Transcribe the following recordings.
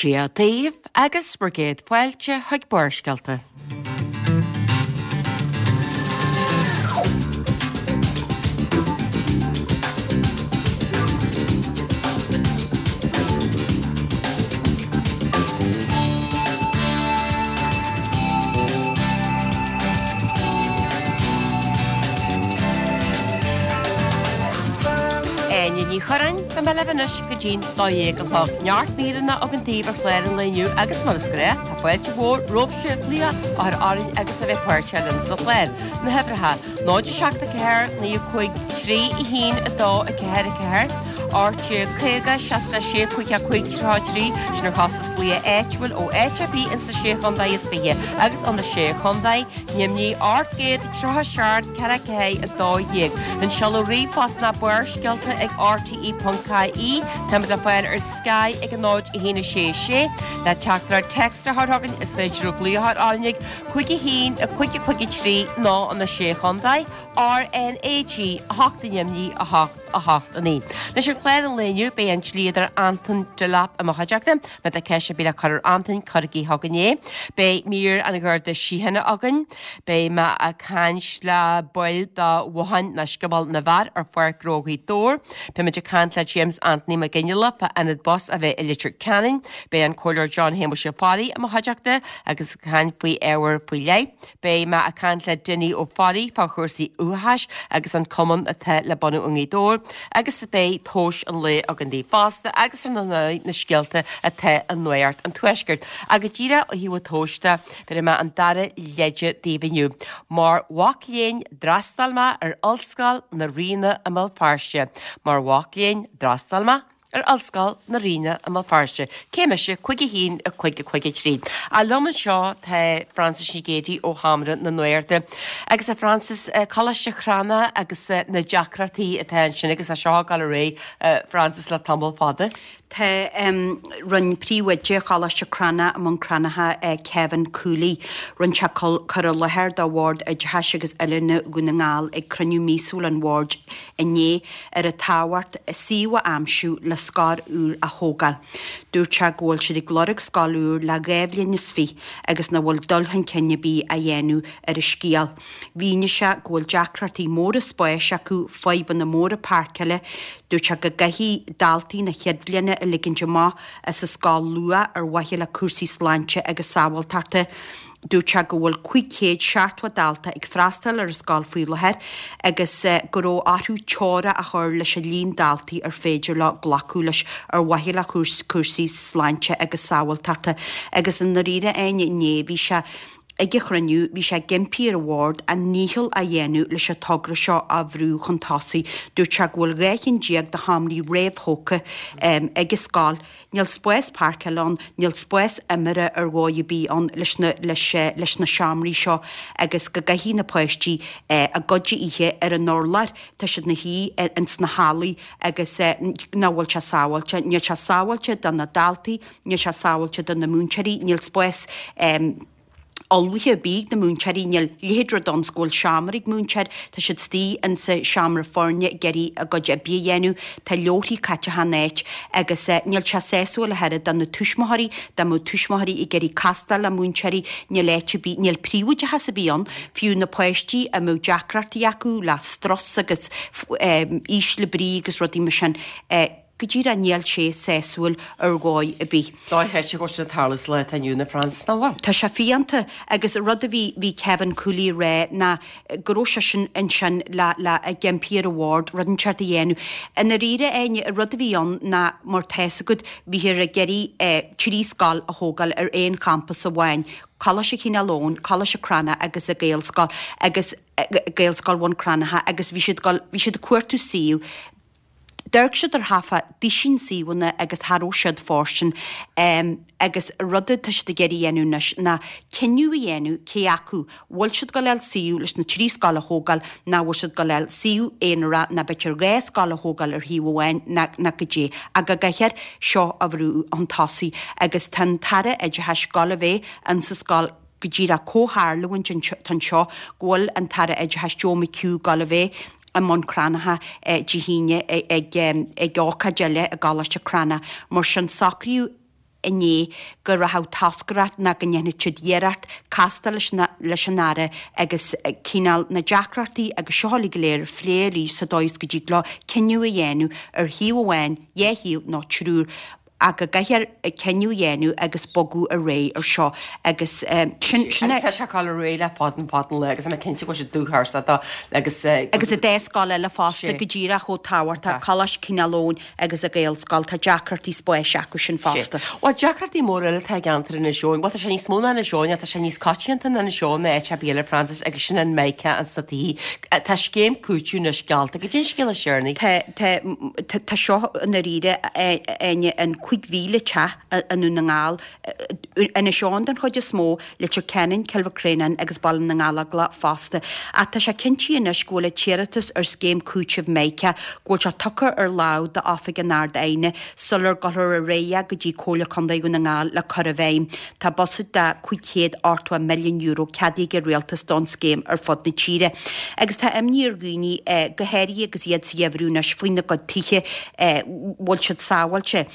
Dia daoibh agus bhur gcéad fáilte chuig Barrscéalta. Áine Ní Churráin, beidh mé libh anois go dtí'n 12 a chlog. Neart míreanna againn daoibh ar chlár an lae inniu agus mar is gnách, tá fáilte mhór romhaibhse glaoch a chur orainn agus a bheith páirteach linn sa chlár. Na huimhreacha, 0 7 4 9 5 3 1 2 4 4, 18 50 66 5 5 33, sin ar chostas glaoch áitiúil ó áit ar bith ins na Sé Chontae is Fiche agus ó na Sé Chontae, Nimhní 837 4 4 12. An seoladh ríomhphost ná barrscéalta ag rte.ie. Táimid le fáil ar Sky ag 0 1 6 6. Le teachtaireacht text a chur chugainn is féidir glaoch a chur orainn ag 5 1 5 5 3 nó na Sé Chontae, RnaG 8 Nimhní 8 8 9. Anois ar chlár an lae inniu beidh an dlíodóir Anton Delap i mo chuideachta. Má tá ceist ar bith le cur ar Anton, cuirigí chugainn é. Beidh mír an Gharda Síochána againn. Beidh mé ag caint le baill de Bhothán nó Scioból na bhFear ar Pháirc Ghnó Ghaoth Dobhair. Beidh muid ag caint le James Anthony Mac Fhionnghaile fá ionad bus a bheidh i Leitir Ceanainn. Beidh an Comhairleoir John Shéamuis Ó Fearraigh i mo chuideachta agus ag caint faoi ábhar faoi leith. Beidh mé ag caint le Dinny Ó Fearraigh fá chúrsaí uathachais agus an cumann atá le bunú i nGaoth Dobhair agus beidh tomhais an lae againn daoibh fosta agus ar ndóigh na scéalta atá i Nuacht an Tuaiscirt. Ach go díreach ó thaobh an tomhais de, bhéarfaidh mé an dara leide daoibh inniu. Mar mhac léinn d'fhreastail mé ar Ollscoil na Ríona i mBéal Feirste. Mar mhac léinn d'fhreastail mé. ar Ollscoil na Ríona i mBéal Feirste. Cé mise? 5 1 5 5 3. Ach liom anseo tá Frances Nic Géadaigh ó Sheomra na Nuachta. Agus a Frances, Coláiste Chranncha agus na deacrachtaí atá ansin agus é seo ag dul ar aghaidh, Frances, le tamall fada. Tá rinne príomhoide Choláiste Cranncha i mBun Cranncha, Kevin Cooley, rinne sé cur i láthair do Bhord Oideachais agus Oiliúna Dhún na nGall ag cruinniú míosúil an bhoird inné ar a tábhacht suíomh a aimsiú le scoil úr a thógáil. Dúirt sé go bhfuil siad ag lorg scoil úr le dhá bhliain is fiche agus nach bhfuil dul chun cinn ar bith á dhéanamh ar an scéal. Mhínigh sé go bhfuil deacrachtaí móra spáis acu, fadhbanna móra páirceála. Dúirt sé go gcaithfidh daltaí na chéad bhliana a ligint amach as an scoil luath ar mhaithe le cúrsaí sláinte agus sábháilteachta. Dúirt sé go bhfuil 570 dalta ag freastal ar an scoil faoi láthair agus go raibh orthu teora a chur leis an líon daltaí ar féidir leo glacadh leis ar mhaithe le cúrsaí sláinte agus sábháilteachta agus i ndáiríre Áine inné bhí sé ag an chruinniú bhí sé ag impí ar an bhord a ndícheall a dhéanamh leis an togra seo a bhrú chun tosaigh. Dúirt sé go bhfuil 12 cheann de sheomraí réamhthógtha ag an scoil Níl spás páirceála ann, níl spás imeartha ar dhóigh ar bith ann leis na, leis, leis na seomraí seo agus go gcaithfidh na páistí a gcuid a ithe ar an urlár, tá siad ina shuí ins na hallaí agus nach bhfuil sé sábháilte. Níl sé sábháilte do na daltaí, níl sé sábháilte do na múinteoirí, níl spás. ullmhaithe ar bith ag na múinteoirí, níl a leithéid rud ann 's go bhfuil seomra ag múinteoir, tá siad istigh insa seomra foirne ag iarraidh a gcuid oibre a dhéanamh, tá leabharthaí caite achan áit agus níl sé sásúil ach oiread do na tuismitheoirí, dá mbeadh tuismitheoirí ag iarraidh castáil le múinteoirí, níl áit ar bith, níl príobháideachas ar bith ann, fiú na páistí a mbeadh deacrachtaí acu le strus agus ísle brí agus rudaí mar sin. Go díreach níl sé sásúil ar dhóigh ar bith. Dochreidte go bhfuil sin ag tarlú sa lá atá inniu ann a Frances, nach bhfuil? Tá sé fiánta agus rud a bhí, bhí Kevin Cooley ag rá ná go raibh seisean ansin le, le, ag impí ar an bhord rud inteacht a dhéanamh. I ndáiríre, Áine, an rud a bhí ann ná mar tá 'fhios agat, bhíthear ag iarraidh 3 scoil a thógáil ar aon champas amháin, Coláiste Chineál Eoghain, Coláiste Cranncha agus an Ghaelscoil agus Gaelscoil Bhun Cranncha agus bhí siad ag dul, bhí siad ag cuartú suíomh. D'amharc siad ar half a duisín suíomhanna agus cha raibh siad fóirstean agus rud atá siad ag iarraidh a dhéanamh anois ná cinneadh a dhéanamh cé acu bhfuil siad ag dul a fháil suíomh leis na 3 scoil a thógáil ná bhfuil siad ag dul a fháil suíomh aonarach ná b'fhéidir 2 scoil a thógáil ar shuíomh amháin ná ná goidé ach go gcaithfear seo a bhrú chun tosaigh agus tá an tAire Oideachais ag dul a bheith insa scoil go díreach comhtharlúint atá anseo go bhfuil an tAire Oideachais Joe McHugh ag dul a bheith i mBun Cranncha Dé hAoine ag ócáid eile i gColáiste Cranncha. Mar sin socraíodh. inné go rachadh toscaireacht ná go ndéanfadh siad iarracht castáil leis leis an Aire agus cineál na deacrachtaí agus seo uilig go léir a phlé arís sa dóigh is go dtig leo cinneadh a dhéanamh ar thaobh amháin, dhá thaobh nó triúr ach go gcaithfear cinneadh a dhéanamh agus bogadh ar aghaidh ar seo agus sin sin Agus tá sé ag dul ar aghaidh le fada an fada an lá agus tá mé cinnte go bhfuil sé dúchásach dó agus. Agus an dá scoil eile fosta go díreach chomh tábhachtach, Coláiste Chineál Eoghain agus an Ghaelscoil, tá deacrachtaí spáis acu sin fosta. Bhuel, deacrachtaí móra eile atá i gceantar Inis Eoghain. Bhuel, tá sé níos mó ná Inis Eoghain, tá sé níos coitianta ná Inis Eoghain ná áit ar bith eile, Frances, agus sin an Mica ins na tithe. Tá scéim cúitimh anois geallta. Goidé an scéal is deireanaí. Tá, tá, tá seo i ndáiríre, Áine, an 5,000 teach i nDún na nGall, Inis Eoghain den chuid is mó, Leitir Ceanainn, Cill Mhic Réanáin agus Baile na nGallóglach fosta. Ach tá sé cinntithe anois go bhfuil an t-iarratas ar scéim cúitimh Mica, go bhfuil sé tugtha ar lámh d'Oifig an Ard-Aighne sular gabhfar ar aghaidh go dtí Comhairle Contae Dhún na Ngall le cur i bhfeidhm. Tá buiséad de €580 milliún ceadaithe ag an Rialtas don scéim ar fud na tíre. Agus tá imní ar dhaoine, go háirithe agus iad sa gheimhreadh anois, faoina gcuid tithe, bhfuil siad sábháilte.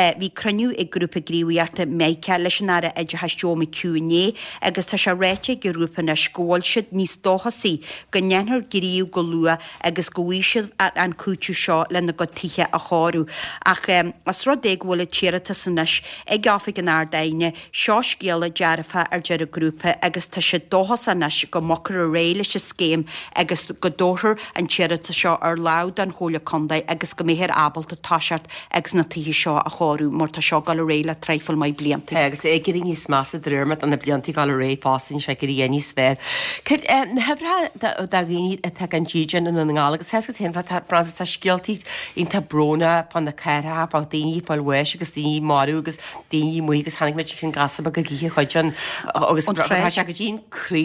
Bhí cruinniú ag Grúpa Gníomhaíochta Mica leis an Aire Oideachais Joe McHugh inné agus tá sé ráite ag an ghrúpa anois go bhfuil siad níos dóchasaí go ndéanfar gníomh go luath agus go bhfaighidh siad an cúiteamh seo lena gcuid tithe a chóiriú. Ach os rud é go bhfuil an t-iarratas anois ag Oifig an Ard-Aighne, seo scéala dearfach a deir an grúpa agus tá siad dóchasach anois go mbogfar ar aghaidh leis an scéim agus go dtabharfar an t-iarratas seo ar lámh don Chomhairle Contae agus go mbeifear ábalta toiseacht agus na tithe seo a chóiriú mar tá seo ag dul ar aghaidh le traidhfil maith blianta. Tá agus é ag éirí níos measa de réir mar atá na blianta ag dul ar aghaidh fosta níl sé ag éirí níos fearr. Cad é na huimhreacha do dhaoine atá gan dídean i nDún na nGall agus tá a fhios agat féin Frances tá scéaltaí iontach brónach fá na cathracha fá daoine ag fáil bháis agus daoine marbh agus daoine amuigh agus tháinig muid chuig an gasúr beag ag ithe chuid an agus tá sé go dtí an croí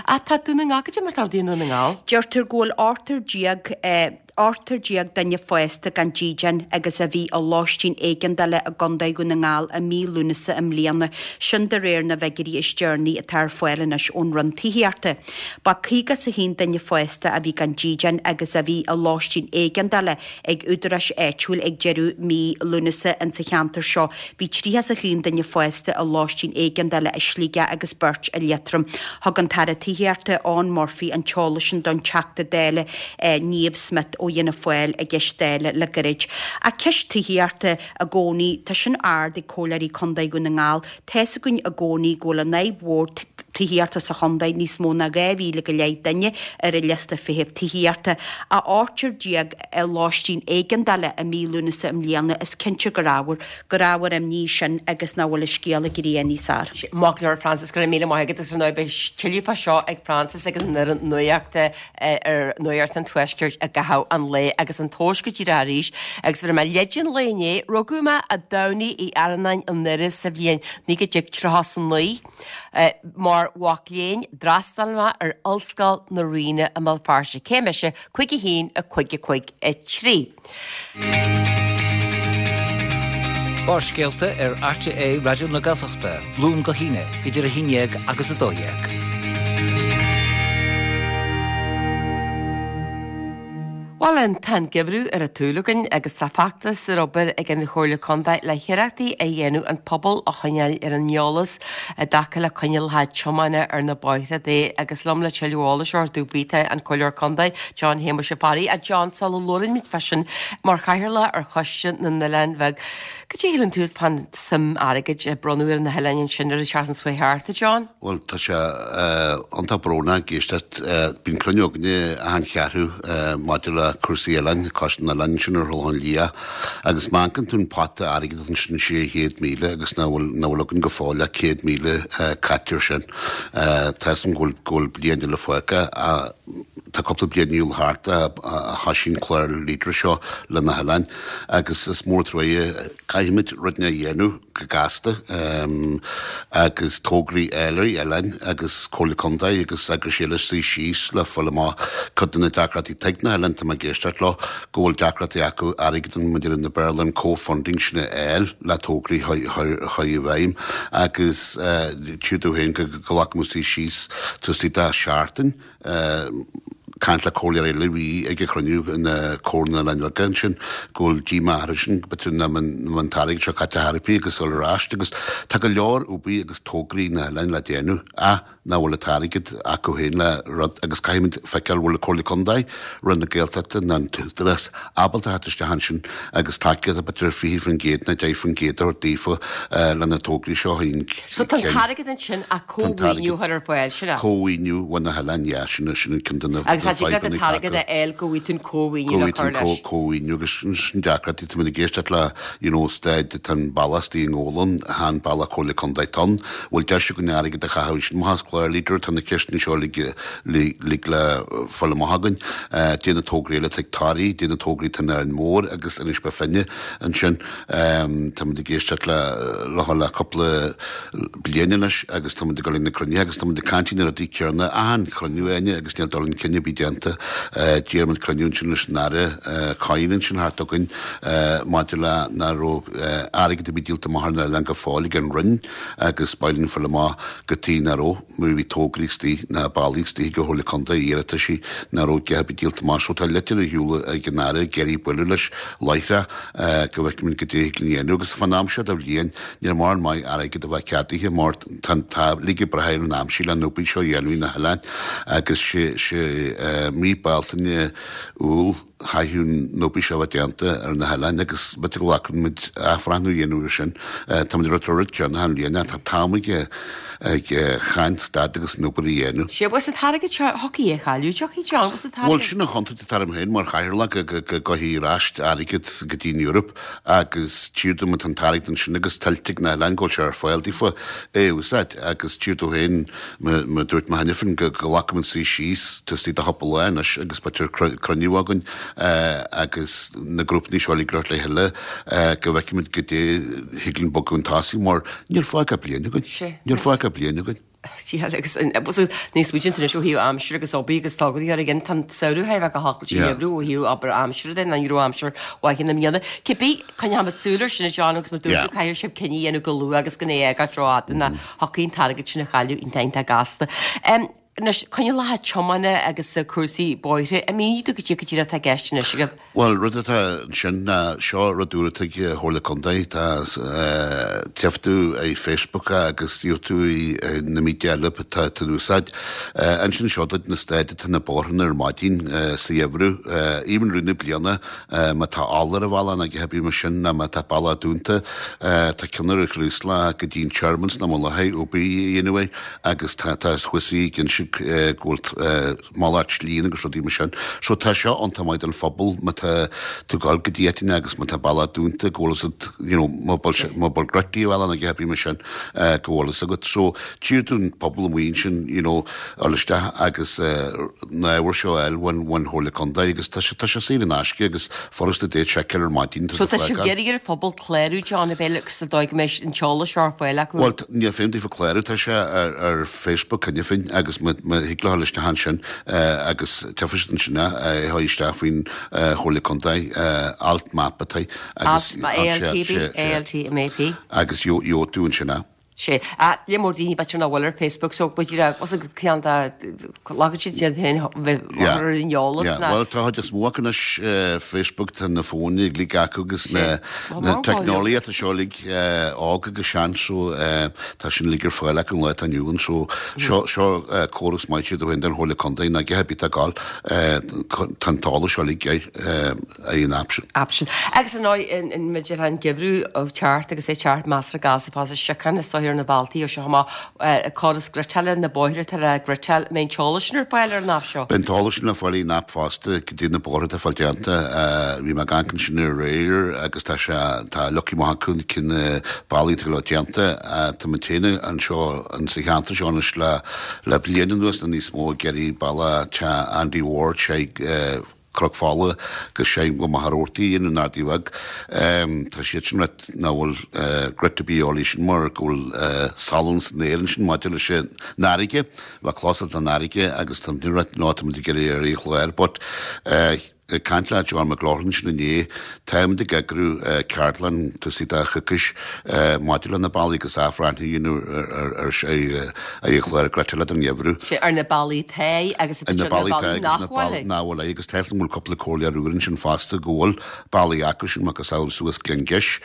Ach tá Dún na nGall, cad é mar atá rudaí i nDún na nGall? Deirtear go bhfuil 18 18 duine fásta gan dídean agus a bhí i lóistín éigeandála i gContae Dhún na nGall i mí Lúnasa i mbliana, sin de réir na bhfigiúirí is deireanaí atá ar fáil anois ón Roinn Tithíochta. Ba 51 duine fásta a bhí gan dídean agus a bhí i lóistín éigeandála ag údaráis áitiúil ag deireadh mí Lúnasa insa cheantar seo. Bhí 31 duine fásta i lóistín éigeandála i Sligeach agus beirt i Liatroim. Thug an tAire Tithíochta, Eoghan Murphy an t-eolas sin don Teachta Dála Niamh Smith ó Fhianna Fáil i gceist Dála le gairid. Ach ceist tithíochta i gcónaí, tá sin ard ag Comhairleoirí Contae Dhún na nGall. Tá's againn i gcónaí go bhfuil an fhadhb mhór tithíochta sa chontae, níos mó ná 2,000 go leith duine ar an liosta feithimh tithíochta, ach 18 i lóistín éigeandála i mí Lúnasa i mbliana, is cinnte gur ábhar gur ábhar imní sin agus nach bhfuil an scéal ag éirí níos fearr. Maith go leor Frances, go raibh míle maith agat agus ar ndóigh beidh tuilleadh fá seo ag Frances agus an fhoireann nuachta ar Nuacht an Tuaiscirt i gcaitheamh an lae agus an tomhas go díreach arís agus bhí mé leid an lae inné, rugadh mé a' Domhnaigh Uí Arnáin i nDoire sa bhliain 1939. Mar mhac léinn d'fhreastail mé ar Ollscoil na Ríona i mBéal Feirste. Cé mise? 51 5 5 3. Barrscéalta ar RTÉ Raidió na Gaeltachta, Luan go hAoine, idir 11 agus 12. Bhuel, tá an geimhreadh ar an tsúil againn agus tá feachtas ar obair ag an Chomhairle Contae le hiarrachtaí a dhéanamh an pobal a choinneáil ar an eolas i dtaca le coinníollacha tiomána ar na bóithre de agus liom le tuilleadh eolais a thabhairt faoi tá an Comhairleoir Contae John Shéamuis Ó Fearraigh. A John, sula labhraímid fá sin mar chathaoirleach ar Choiste na nOileán Bheag, cad é a shíleann tú fán suim airgid a bronnadh ar na hoileáin ansin ar an tseachtain seo thart, a John? Bhuel, tá sé iontach brónach ag éisteacht. Bíonn cruinniú againne achan cheathrú maidir le cúrsaí oileáin, Coiste na nOileán ansin ar Thulach Liath. Agus má amharcann tú an pota airgid ansin, 600,000 agus nach bhfuil, nach bhfuil againn go fóill ach 100,000 caite air sin. Tá 'fhios a'm go bhfuil, go bhfuil bliain eile fágtha ach tá cúpla bliain a shiúl thart a thoisigh an clár Leader seo le na hoileáin agus is mór truaighe, caithfimid rud a dhéanamh go gasta agus tograí eile ar oileáin agus Comhairle Contae agus eagrais eile suí síos le fáil amach cuid de na deacrachtaí atá ag na hoileáin, tá mé ag éisteacht leo, go bhfuil deacrachtaí acu airgead an, mar a deir na Béarla, an co-funding sin a fháil le tograí a chur i bhfeidhm agus tchí tú féin go nglacfaidh muid suí síos taobh istigh de sheachtain. caint le comhairleoir eile a bhí ag an chruinniú in Comhairle na nOileán Bheaga ansin go bhfuil díomá orthu sin b'fhéidir nach mbeidh an t-airgead seo caite thar bith agus dul ar ais agus tá go leor obair agus tograí na hoileáin le déanamh ach nach bhfuil an t-airgead acu féin le rud agus caithfimid feiceáil bhfuil an Comhairle Contae, Roinn na Gaeltachta ná an tÚdarás ábalta theacht isteach ansin agus tacaíocht b'fhéidir 20% nó 10% a thabhairt daofa le na tograí seo a chun So tá an t-airgead ansin ach cómhaoiniú a chur ar fáil, sin é? Cómhaoiniú ó na hoileáin, yeah, sin sin an ceann de na Agus tá tig leat an t-airgead a fháil go bhfaighidh tú an cómhaoiniú le cur leis. Cómhaoiniú agus sin deacrachtaí, tá muid ag éisteacht le you know staid tá an bealach istigh i nGabhlán, chan bealach Comhairle Contae atá ann, bhfuil deis againn airgead a chaitheamh ansin amach as clár Leader, tá na ceisteanna seo uilig le fáil amach againn. Dé na tograí eile atá ag Toraigh, dé na tograí atá in Árainn Mhór agus Inis Bó Finne ansin. Táimid ag éisteacht le leo le cúpla bliain anois agus táimid ag dul ag na cruinnithe agus táimid ag caint na rudaí céanna achan chruinniú Áine agus níl dul chun cinn ar bith déanta. D'iarr muid cruinniú ansin leis an Aire Coyne ansin thart againn maidir le nach raibh airgead ar bith díolta amach ar an oileán go fóill ag an Roinn agus ba mhaith linn fáil amach cad chuige nach raibh mar bhí tograí istigh ná bealaí istigh ag an Chomhairle Contae iarrataisí nach raibh a dhath ar bith díolta amach so tá litir ar shiúl ag an Aire ag iarraidh bualadh leis láithreach go bhfeicfimid cad é thig linn a dhéanamh agus fán am seo de bhliain níl mórán maith airgead a bheith ceadaithe mar tá tá uilig ag brath ar an aimsir le an obair seo a dhéanamh na hoileáin agus sé sé mí Bealtaine Iúil chaithfeadh an obair seo a bheith déanta ar na hoileáin agus b'fhéidir go nglacfaidh muid athbhreathnú a dhéanamh ar sin. Táimid ag rá an rud céanna achan bhliain ach tá t-am ag ag chan stad agus an obair a dhéanamh. Sea, bhfuil an t-airgead seo, thiocfaidh é a chailleadh, tiocfaidh John, bhfuil an t-airgead. Bhuel, sin an chontúirt atá orm féin mar chathaoirleach go gcaithfidh ar ais airgead go dtí an Eoraip agus tchíthear dom tá an t-airgead ansin agus tuillte ag na hoileáin go bhfuil sé ar fáil daofa é a úsáid agus tchíthear domh féin mar dúirt mé cheana féin go nglacfaidh muid suí síos taobh istigh de chúpla lá anois agus b'fhéidir cruinniú againn agus na grúpanna seo uilig le chéile go bhfeicfimid goidé thig linn bogadh chun tosaigh mar níl fágtha ach bliain againn. Níl fágtha ach bliain againn. Sea, agus níos smaointe anois ó thaobh aimsire agus obair agus tograí ar again, tá an samhradh thar a bheith go hoscailte yeah. ó thaobh obair aimsire de, ná ní raibh aimsir mhaith i mbliana. Cibé, coinneoimid súil air sin a John agus mar dúirt tú caithfidh sibh cinneadh a dhéanamh go luath agus gan é a fhágáilt rófhada ná thiocfaidh an t-airgead sin a chailleadh iontach iontach gasta. Anois, coinníollacha tiomána agus cúrsaí bóithre, an mínigh tú goidé go díreach atá i gceist anois agaibh? Bhuel, rud atá ansin ná seo rud úr atá ag Chomhairle Contae, tá tchífidh tú ar Facebook agus gheobhaidh tú i na media eile atá in úsáid. Ansin seo duit na staid atá na bóithreanna ar maidin sa gheimhreadh, even rith na bliana má tá ola ar an bhealach nó a dhath ar bith mar sin nó má tá bealach dúnta, tá ceann ar an Chraoslach go dtí an Tearmann sna Mullachaí, obair a dhéanamh air. agus tá tá thuas ag inse go bhfuil malairt slí agus rudaí mar sin. So tá seo iontach maith don phobal má tá tú ag dul go dtí áiteanna agus má tá bealach dúnta go bhfuil fhios agat you know má bhfuil má bhfuil gruití ar bhealach nó a dhath ar bith mar sin go bhfuil fhios agat. So tchíthear don phobal amuigh ansin you know dul isteach agus na ábhair seo a fháil ón ón Chomhairle Contae agus tá sé tá sé saor in aisce agus furasta duit seiceáil ar maidin tá So tá sibh ag iarraidh ar an phobal clárú John ab é sa dóigh go mbeidh an t-eolas seo ar fáil acu. Bhuel, níl feidhm daofa clárú, tá sé ar Facebook cheana féin agus má thig leo dul isteach ansin agus tchífidh siad ansin é, é a chur isteach faoin Chomhairle Contae, Alt Map atá agus ALT, ALT MAP. Agus gheobhaidh tú ansin é. Sea. Lear mór daoine b'fhéidir nach bhfuil ar Facebook so b'fhéidir os a ceann dá Glacann siad iad féin bheith ar an eolas ná. Bhuel, tá chuid is mó acu anois Facebook, tá na fóin uilig acu agus na teicneolaíochta seo uilig óg agus sean so tá sin uilig ar fáil acu an lá atá inniu ann so seo seo córas maith siad ó shin den Chomhairle Contae ná cé bith atá ag gabháil tá an t-eolas seo uilig ar an aip sin. Aip sin. Agus ar ndóigh an maidir an geimhreadh ag teacht agus é teacht measartha gasta fosta siocán is dóigh ar na bealtaí ó seo amach córas gridteála na bóithre atá le gridteáil an mbeidh an t-eolas sin ar fáil ar an aip seo? Beidh an t-eolas sin le fáil ar an aip fosta goidé na bóithre atá fáil déanta. Bhí mé ag amharc ansin aréir agus tá sé tá leagtha amach acu cé na bealaí atá le déanta. Tá muid féin anseo sa cheantar seo anois le le bliain anuas nó níos mó ag iarraidh bealach Teach Andy Ward sé Cnoc Fola go Seinn go Machaire Rabhartaigh in an Ardaí Bheag. Tá siad sin rite nach bhfuil grit ar bith eolaí sin mar go bhfuil salann san aer ansin maidir leis an fharraige, bheadh closal don fharraige agus tá muid rite ná tá muid ag iarraidh ar aon chlár but. Ag caint le John McLaughlin ansin inné, táimid ag eagrú ceardlann tosaigh de choicís maidir le na bealaí agus athbhreithniú a dhéanamh ar an chlár gréasáin don gheimhreadh. Sea, ar na bealaí atá agus ar na bealaí nach bhfuil. Nach bhfuil agus tá 'fhios a'm go bhfuil cúpla comhairleoir úr ansin fosta go bhfuil bealaí acu sin, macasamhail suas Gleann Gis.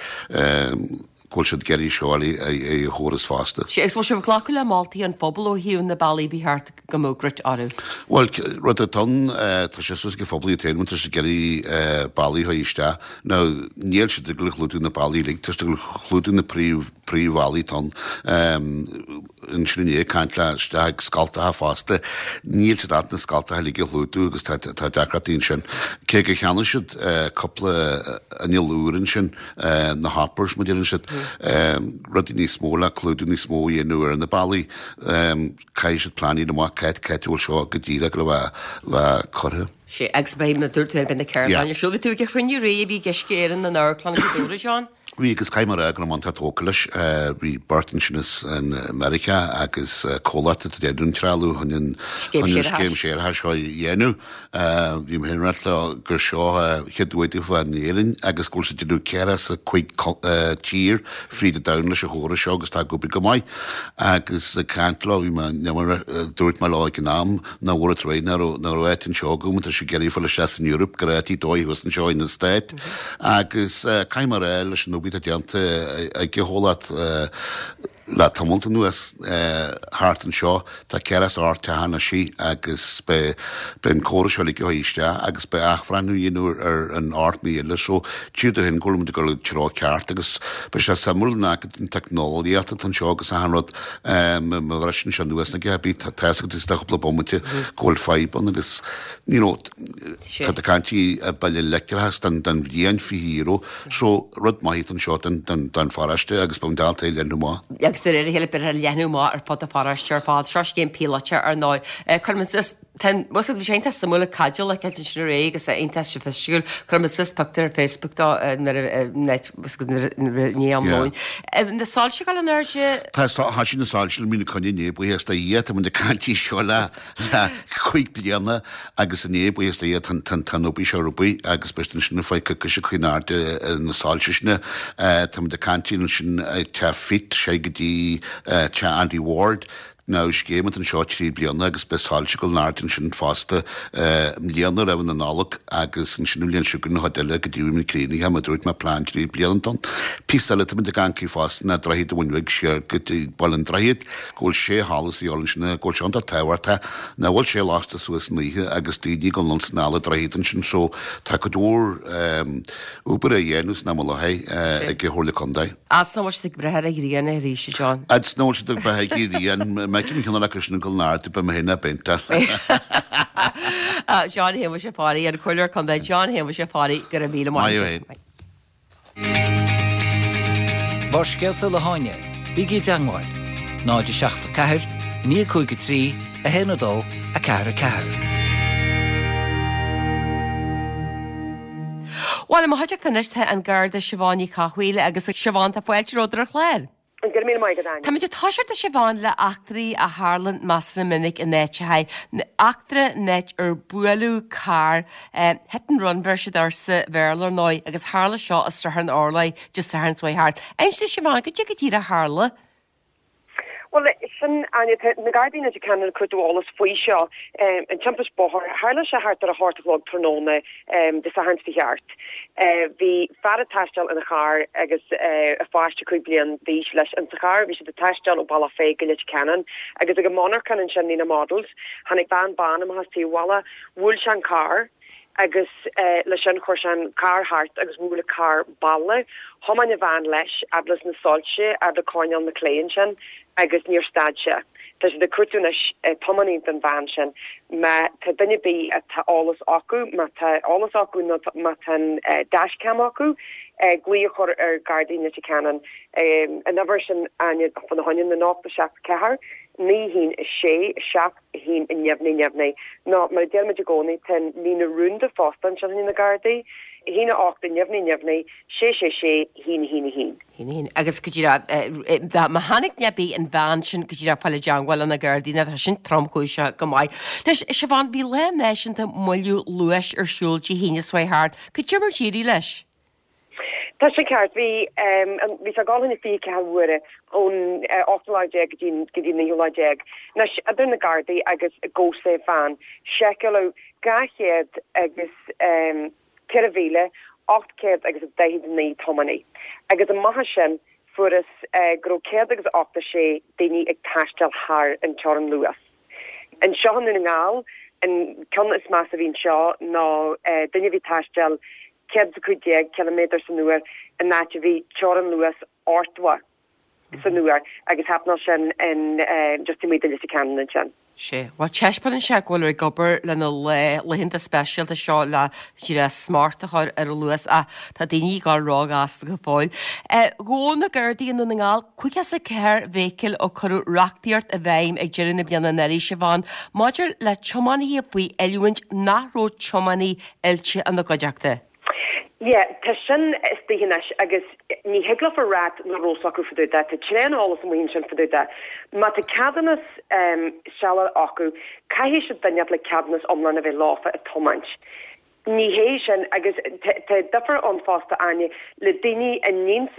go bhfuil siad ag iarraidh seo a chóras fosta. Sea, agus bhfuil sibh ag glacadh le moltaí an phobail ó thaobh na bealaí ba cheart go mbeadh gruit orthu? Bhuel, rud atá ann, tá sé suas ag an phobal iad féin, tá siad ag iarraidh bealaí a chur isteach. Now, níl siad ag dul a chlúdú na bealaí uilig, tá siad ag dul a chlúdú na príomh, príomhbhealaí atá ann. Ansin inné ag caint le isteach ag scoltacha fosta, níl siad ábalta na scoltacha uilig a chlúdú agus tá, tá deacrachtaí ansin. Cé gur cheannaigh siad cúpla inneall úr ansin, na hoppers, mar a deireann siad, rudaí níos mó le clúdú níos mó a dhéanamh ar na bealaí. Caithfidh siad plean a dhéanamh amach cá háit a bhfuil seo go díreach le bheith curtha. Sea, agus beidh, mar a dúirt tú, beidh na ceardlanna ar siúl. Bhí tú ag an chruinniú aréir a bhí ag Uisce Éireann in Amharclann Ghaoth Dobhair, John? Bhí, agus caithfidh mé a rá go raibh mé iontach tógtha leis. Bhí beirt ansin as Meiriceá agus comhlacht atá ag déanamh an trealamh chun an scéim séarachais seo a dhéanamh. Bhí mé féin ag ráit leo gur seo an chéad uair daofa in Éirinn agus go bhfuil siad ag déanamh 45 tír fríd an domhan leis an chóras seo agus tá ag obair go maith. Agus ag caint leo bhí mé, dúirt mé leo ag an am nach bhfuair tar éis nach raibh nach raibh áit anseo agam tá siad ag iarraidh fáil isteach san Eoraip go raibh áit dóigh thuas anseo ina Stáit. Agus caithfidh mé a rá leis an obair atá déanta ag an chomhlacht, Le tamalt anuas thart anseo tá 48 teach anois agus beidh an córas seo ligthe isteach agus beidh athbhreithniú á dhéanamh ar an 8,000 eile so tchífidh tú féin go bhfuil muid ag dul an treo ceart agus beidh sé suimiúil an fhaca an teicneolaíocht atá anseo agus achan rud má bhriseann sé anuas nó a dhath ar bith tá fhios agat istigh cúpla bomaite go bhfuil fadhb ann agus you know tá tú ag caint ar bille leictreachais don bhliain €20 So, rud maith atá anseo don pharóiste agus beidh muid ábalta é a leathnú amach. Agus de réir a chéile beidh sé ag leathnú amach ar fud an pharóiste ar fad. Seo scéim píolótach ar ndóigh. Cuirfidh muid suas, tá an, bhfuil bhí sé iontach suimiúil ag caidreamh le ceilt ansin aréir agus é iontach soifisticiúil. Cuirfidh muid suas pictiúr ar Facebook dó nuair a, nuair a, i ndiaidh am lóin. Na soilse ag dul in airde. Tá, thoisigh na soilse i mí na coinne inné, buíochas do Dhia, tá muid ag caint faoi seo le le 5 bliana agus inné, buíochas do Dhia, tá an obair seo ar obair agus beidh siad ansin ar feadh coicíse ag cur in airde na soilse sin. Táimid ag caint ansin ag teach Phete, sé go dtí teach Andy Ward. Now scéim atá anseo 3 bliana agus beidh soilse ag dul in airde ansin fosta i mbliana roimh na Nollag agus ansin an bhliain seo chugainn an chuid eile go dtí go mbeidh críochnaithe mar a dúirt mé plean 3 bliana atá ann. Píosa eile táimid ag amharc air fosta ná Droichead an Bhun Bhig siar go dtí Baile an Droichid. go bhfuil sé sholas a dhíobháil ansin, go bhfuil sé iontach tábhachtach, nach bhfuil sé lasta suas san oíche agus daoine ag dul anonn 's anall an droichead ansin so tá cuid mhór obair á dhéanamh san am i láthair ag an Chomhairle Contae. Fhad 's nach bhfuil siad ag breith ar an ghrian arís, a John. Fhad 's nach bhfuil siad ag breith ar an ghrian, má fheicim ceann acu sin ag dul in airde beidh mé féin á bpéinteáil. John Shéamuis Uí Pháidín, an Comhairleoir Contae John Shéamuis Uí Pháidín, go raibh míle maith agat. Maith thú. Barrscéalta le hÁine, bígí i dteangmháil, 0 7 4 9 5 3 1 2 4 4. Bhuel, i mo chuideachta anois tá an Garda Siobhán Ní Chathmhaoil agus a Siobhán, tá fáilte romhat ar an chlár. Go raibh míle maith agat, Áine. Táimid ag toiseacht a Siobhán le eachtraí a tharlann measartha minic in áiteacha. Eachtra in áit ar buaileadh carr, hit and run bheir siad air sa Bhéarla ar ndóigh, agus tharla seo i Srath an Orlaigh Dé Sathairn seo chuaigh thart. Inis a Siobhán, goidé go díreach a tharla? Bhuel, sin, Áine, tá na Gardaí i Leitir Ceanainn ag cuartú eolas faoi seo, an timpist bóthair. Tharla sé thart ar a hocht a chlog tráthnóna Dé Sathairn seo chuaigh thart. Bhí fear ag taisteal ina charr agus a pháiste 5 bliain d'aois leis insa charr. Bhí siad ag taisteal ó Bealach Féich go Leitir Ceanainn agus ag an monarchan ansin Nenagh Models tháinig veain bán amach as taobh bhalla, bhuail sé an carr agus leis sin chuir sé an carr thart agus bhuail an carr balla. Thiomáin an veain leis fhad leis na soilse fhad le coirnéal na Clé ansin agus níor stad sé. Tá siad ag cuartú anois tiománaí don veain sin. Má tá duine ar bith atá eolas acu, má tá eolas acu nó má tá an dashcam acu, glaoch a chur ar Gardaí Leitir Ceanainn. An uimhir sin, Áine, fá na choinne, ná 0 7 4. 9 1 6 7 1 neamhní neamhní. Nó mar a deirimid i gcónaí, tá an líne rúnda fosta ansin chuig na Gardaí, 1 8 neamhní neamhní 6 6 6 1 1 1. 1 1. Agus go díreach, má chonaic duine ar bith an bhean sin go díreach fáil i dteangmháil le na Gardaí, nó tá sin tromchúiseach go maith. Anois, Siobhán, bhí Lá Náisiúnta Moilliú Luais ar siúl Dé hAoine seo chuaigh thart. Cad é mar d'éirigh leis? Tá sé ceart. Bhí, bhí sé ag dul fá choinne 24 uaire ón ochtú lá déag go dtí, go dtí an naoú lá déag. Anois, idir na Gardaí agus GoSafe Van, seiceáladh 200 agus 4,800 agus 49 tiománaí. Agus amach as sin, fuarthas go raibh 100 agus 86 daoine ag taisteal thar an teorainn luas. Anseo i nDún na nGall, an ceann is measa a bhí anseo ná duine a bhí ag taisteal 115 ciliméadar san uair in áit a bhí teorainn luas 80 san uair agus happenáil sin in just taobh amuigh de Leitir Ceanainn ansin. Sea. Bhuel, taispeánann sé go bhfuil ag obair le na laethanta speisialta seo le díreach smacht a chur ar an luas ach tá daoine ag dul róghasta go fóill. Ghabh na Gardaí i nDún na nGall 54 vehicle ó cuireadh reachtaíocht i bhfeidhm ag deireadh na bliana anuraidh, Siobhán, maidir le tiománaithe faoi oiliúint nach raibh tiománaí oilte ina gcuideachta. Yeah, tá sin istigh anois agus ní thig leofa ráit nach raibh 's acu fá dtaobh de. Tá tréan eolas amuigh ansin fá dtaobh de. Má tá ceadúnas sealadach acu, caithfidh siad duine le ceadúnas iomlán a bheith leofa ag tiomáint. Ní hé sin, agus tá difear ann fosta, Áine, le daoine a níonn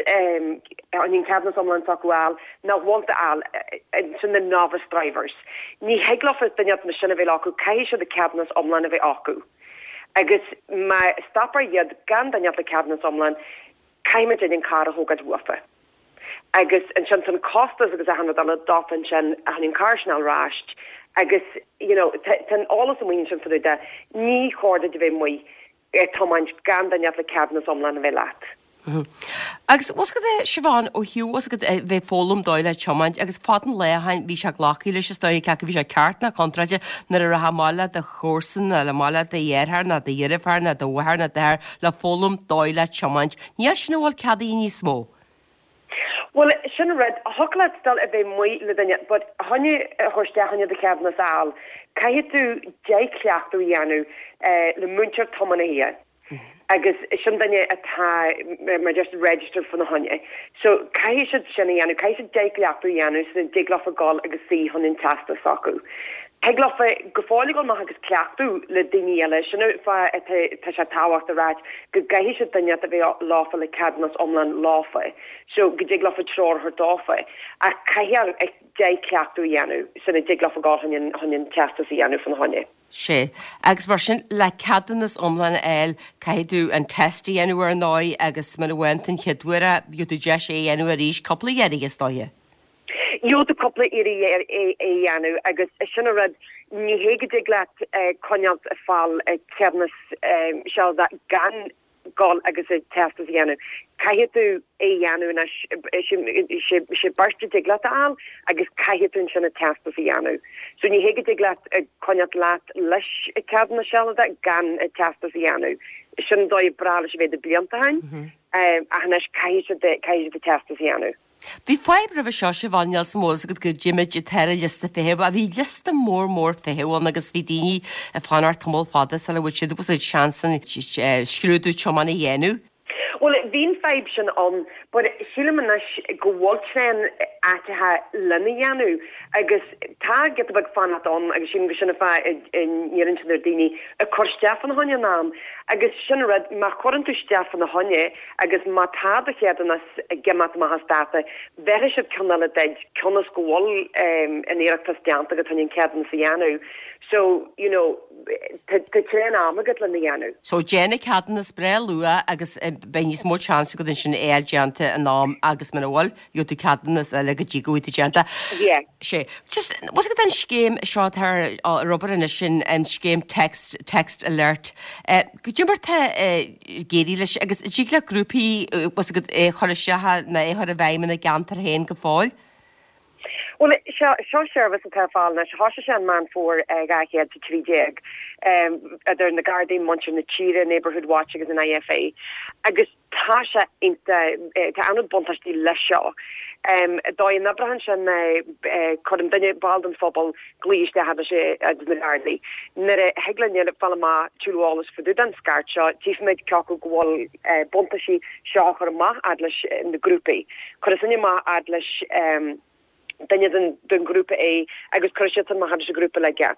an ceadúnas iomlán s'acu a fháil, nach bhfuil a fháil, sin na novice drivers. Ní thig leofa duine mar sin a bheith acu, caithfidh siad an ceadúnas iomlán a bheith acu. Agus má stopfar iad gan duine le ceadúnas iomlán, caithfidh muid an carr a thógáil uafa. Agus ansin tá an costas agus achan rud eile dófa ansin chun an carr sin a fháil ar ais agus you know tá an eolas amuigh ansin fá dtaobh de, ní chóir duit a bheith amuigh ag tiomáint gan duine le ceadúnas iomlán a bheith leat. Agus bhfuil 's agat a Siobhán, ó thaobh bhfuil 's agat a bheith ag foghlaim dóigh le tiomáint agus fad an lae ó shin bhí sé glactha leis is dóigh cé acu bhí sé ceart ná contráilte nuair a rachfá amach le do chomharsan nó le amach le do dheartháir ná do dheirfiúr ná do mháthair ná d'athair le foghlaim dóigh le tiomáint. Níl sin a bhfuil ceadaithe níos mó. Bhuel, sin rud, thiocfadh leat dul a bheith amuigh le duine but choinne a chur isteach choinne do cheadúnas a fháil, caithfidh tú deich cleachtadh a dhéanamh le múinteoir tiománaithe. Agus sin duine atá mar just registered fá na choinne. So caithfidh siad sin a dhéanamh, caithfidh siad deich gcleachtadh a dhéanamh sula dtig leofa gul agus suí chun an teastas s'acu. Thig leofa go fóill a dhul amach agus cleachtadh le daoine eile, sin an fáth atá tá sé tábhachtach a ráit go gcaithfidh siad duine a bheith leofa le ceadúnas iomlán leofa so go dtig leofa treoir a thabhairt dófa. Ach caithfidh deich cleachtadh a dhéanamh sula dtig leofa gul chun an chun an teastas a dhéanamh fá na choinne. Sea. Agus mar sin, le ceadúnas iomlán a fháil, caithfidh tú an test a dhéanamh ar ndóigh agus muna bhfaigheann tú an chéad uair é, gheobhaidh tú deis é a dhéanamh arís cúpla iarraidh, is dóiche. Gheobhaidh tú cúpla iarraidh é a dhéanamh agus sin an rud, ní hé go dtig leat coinneáilt ag fáil ceadúnas sealadach gan gul agus an teastas a dhéanamh. Caithfidh tú é a dhéanamh anois, sé beirt a dtig leat a fháil agus caithfidh tú ansin an teastas a dhéanamh. So ní hé go dtig leat coinneáilt leat leis an ceadúnas sealadach gan an teastas a dhéanamh. Sin an dóigh breá leis a bheith do blianta ó shin ach anois caithfidh siad caithfidh siad an teastas a dhéanamh. Bhí fadhb roimhe seo, Siobhán, níl 's an bhfuil 's agat go dtéimid atá ar an liosta feithimh. Bhí liosta mór mór feithimh ann agus bhí daoine ag fanacht tamall fada sula bhfuair siad bhfuil seans an scrúdú tiomána a dhéanamh. Bhuel, bhí an fadhb sin ann but sílim anois go bhfuil tréan áiteacha lena dhéanamh agus tá giota beag fanacht ann agus sílim go sin an fáth a n-iarrann siad ar daoine ag cur isteach fána choinne in am agus sin an rud, má chuireann tú isteach fána choinne Agus má tá do cheadúnas ag imeacht amach as dáta, bhéarfaidh siad ceann eile duit, cionn is go bhfuil an iarratas déanta agat chun an ceadúnas a dhéanamh. So, you know, tá tréan ama agat lena dhéanamh. So, déan an ceadúnas breá luath agus beidh níos mó chance agat ansin é a fháil déanta in am agus muna bhfuil, gheobhaidh tú ceadúnas eile go dtí go bhfuil tú déanta. Yeah. Sea. Just, bhfuil 's agat an scéim seo atá ar obair anois sin, an scéim text, text alert. Goidé mar tá ag éirí leis agus an dtig le grúpaí, bhfuil 's agat, é a chur isteach nó é a chur i bhfeidhm ina gceantar féin go fóill? Bhuel, seo, seo seirbhís atá ar fáil anois. Thosaigh sé i Meán Fómhair 2013, idir na Gardaí, Muintir na Tíre, Neighbourhood Watch agus an IFA. Agus tá sé iontach, tá an-chuid buntáistí leis seo. Dóigh a n-oibreoidh sé ná cuireann duine, ball den phobal, glao isteach fhad leis na Gardaí. Nuair a thig linne fáil amach tuilleadh eolais fá dtaobh den scairt seo, tchífimid cé acu go bhfuil buntáistí seo a chur amach fhad leis na grúpaí. Cuirfidh sinne amach fhad leis duine den ghrúpa é agus cuirfidh siadsan amach fhad leis an ghrúpa uilig é.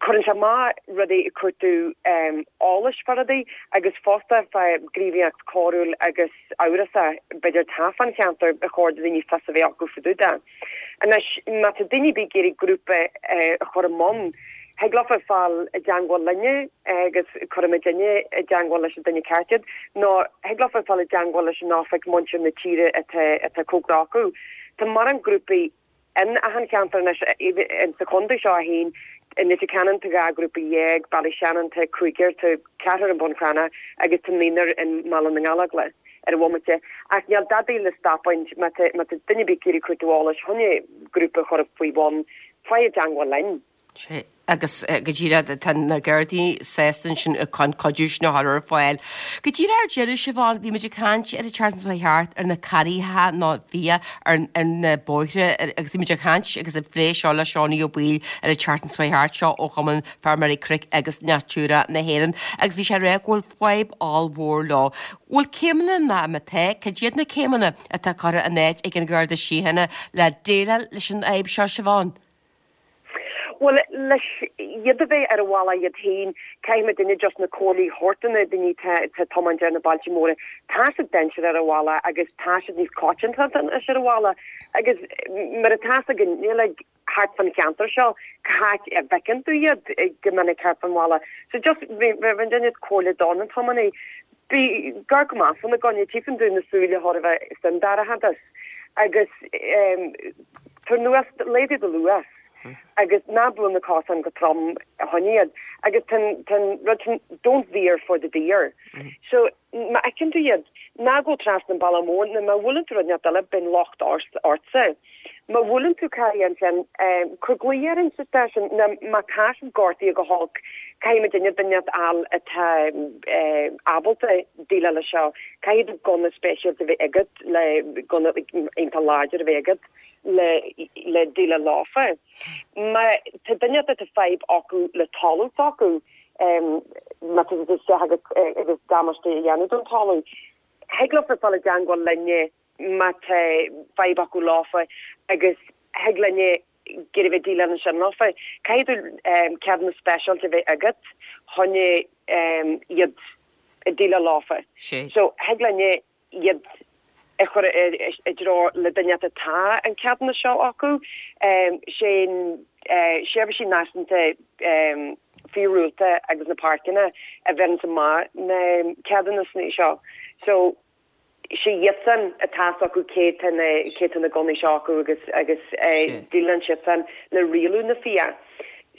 Cuireann sé amach rudaí ag cuartú eolais fá rudaí agus fosta fá ghníomhaíocht choiriúil agus amhrasach b'fhéidir atá fán cheantar ar chóir do dhaoine fios a bheith acu fá dtaobh de. Anois má tá daoine ar bith ag iarraidh grúpa a chur i mbun, thig leofa fáil i dteangmháil linne agus cuirfimid inne i dteangmháil leis an duine ceart iad nó thig leofa fáil i dteangmháil leis an oifig Muintir na Tíre atá atá cóngarach acu. Tá mórán grúpaí In achan cheantar anois, sa chontae seo féin, i Leitir Ceanainn tá 12 ghrúpa, Ballyshannon tá cúigear, tá ceathrar i mBun Cranncha agus tá naonúr i mBaile na nGallóglach ar an bhomaite. Ach níl dadaí le stopáint, má tá duine ar bith ag iarraidh cuartú eolais chun grúpa a chur faoi bhun, faigh i dteangmháil linn. Sea, agus go díreach, tá na Gardaí sásta ansin an cuidiú sin a chur ar fáil. Go díreach ar deireadh, Siobhán, bhí muid ag caint ar an tseachtain seo chuaigh thart ar na carraithe nó fia ar na bóithre agus bhí muid ag caint agus ag plé seo le Seánie Ó Baoill ar an tseachtain seo chuaigh thart seo ó Chumann Feirmeoirí Cnoic agus Natura na hÉireann agus bhí sé ag rá go bhfuil fadhb ollmhór leo. Bhfuil céimeanna ná má tá, cad iad na céimeanna atá curtha in áit ag an Gharda Síochána le déileáil leis an fhadhb seo, Siobhán? Bhuel, leis iad a bheith ar a bhealach iad féin, caithfidh muidinne just na comhairlí a thabhairt do na daoine atá ag tiomáint ar na bailte móra. Tá siad dainséarach ar a bhealach agus tá siad níos coitianta anois ar a bhealach agus mar atá fhios againn, níl ag thart fan cheantar seo cá háit a bhfeiceann tú iad go minic thart fan bhaile. So just bheadh duine comhairle do na tiománaí. Bí gar go maith fána gcoinne, tchífeann tú na súile chóir a bheith san dorchadas agus tar anuas, laghdaigh do luas agus ná buail na cosáin go trom fá choinne iad agus tá an rud sin don't veer for the deer. So má fheiceann tú iad, ná gabh trasna an bealach mór nó má bhuaileann tú rud inteacht eile beidh an locht ortsa. Má bhuaileann tú carr ansin, cuir glao ar an stáisiún nó má tá siad gortaithe go holc, caithfidh muidinne duine a fháil atá ábalta déileáil leis seo. Caithfidh tú gunna speisialta a bheith agat le gunna iontach láidir a bheith agat le le déileáil leofa. Má tá duine atá fadhb acu le talamh s'acu, má tá siad isteach agus agus damáiste a dhéanamh don talamh, thig leofa fáil i dteangmháil linne má tá fadhb acu leofa agus thig linne ag iarraidh a bheith déileáil ansin leofa. Caithfidh tú ceadúnas speisialta a bheith agat chun iad a déileáil leofa. So thig linne iad a chur i dtreo le duine atá an ceadúnas seo acu. Sé Seirbhísí Náisiúnta Fiadhúlra agus na Páirceanna a bheireanns amach na ceadúnas seo. So sé iadsan atá fhios acu cé tá na cé tá na gunnaí seo acu agus agus déileann siadsan le rialú na fia.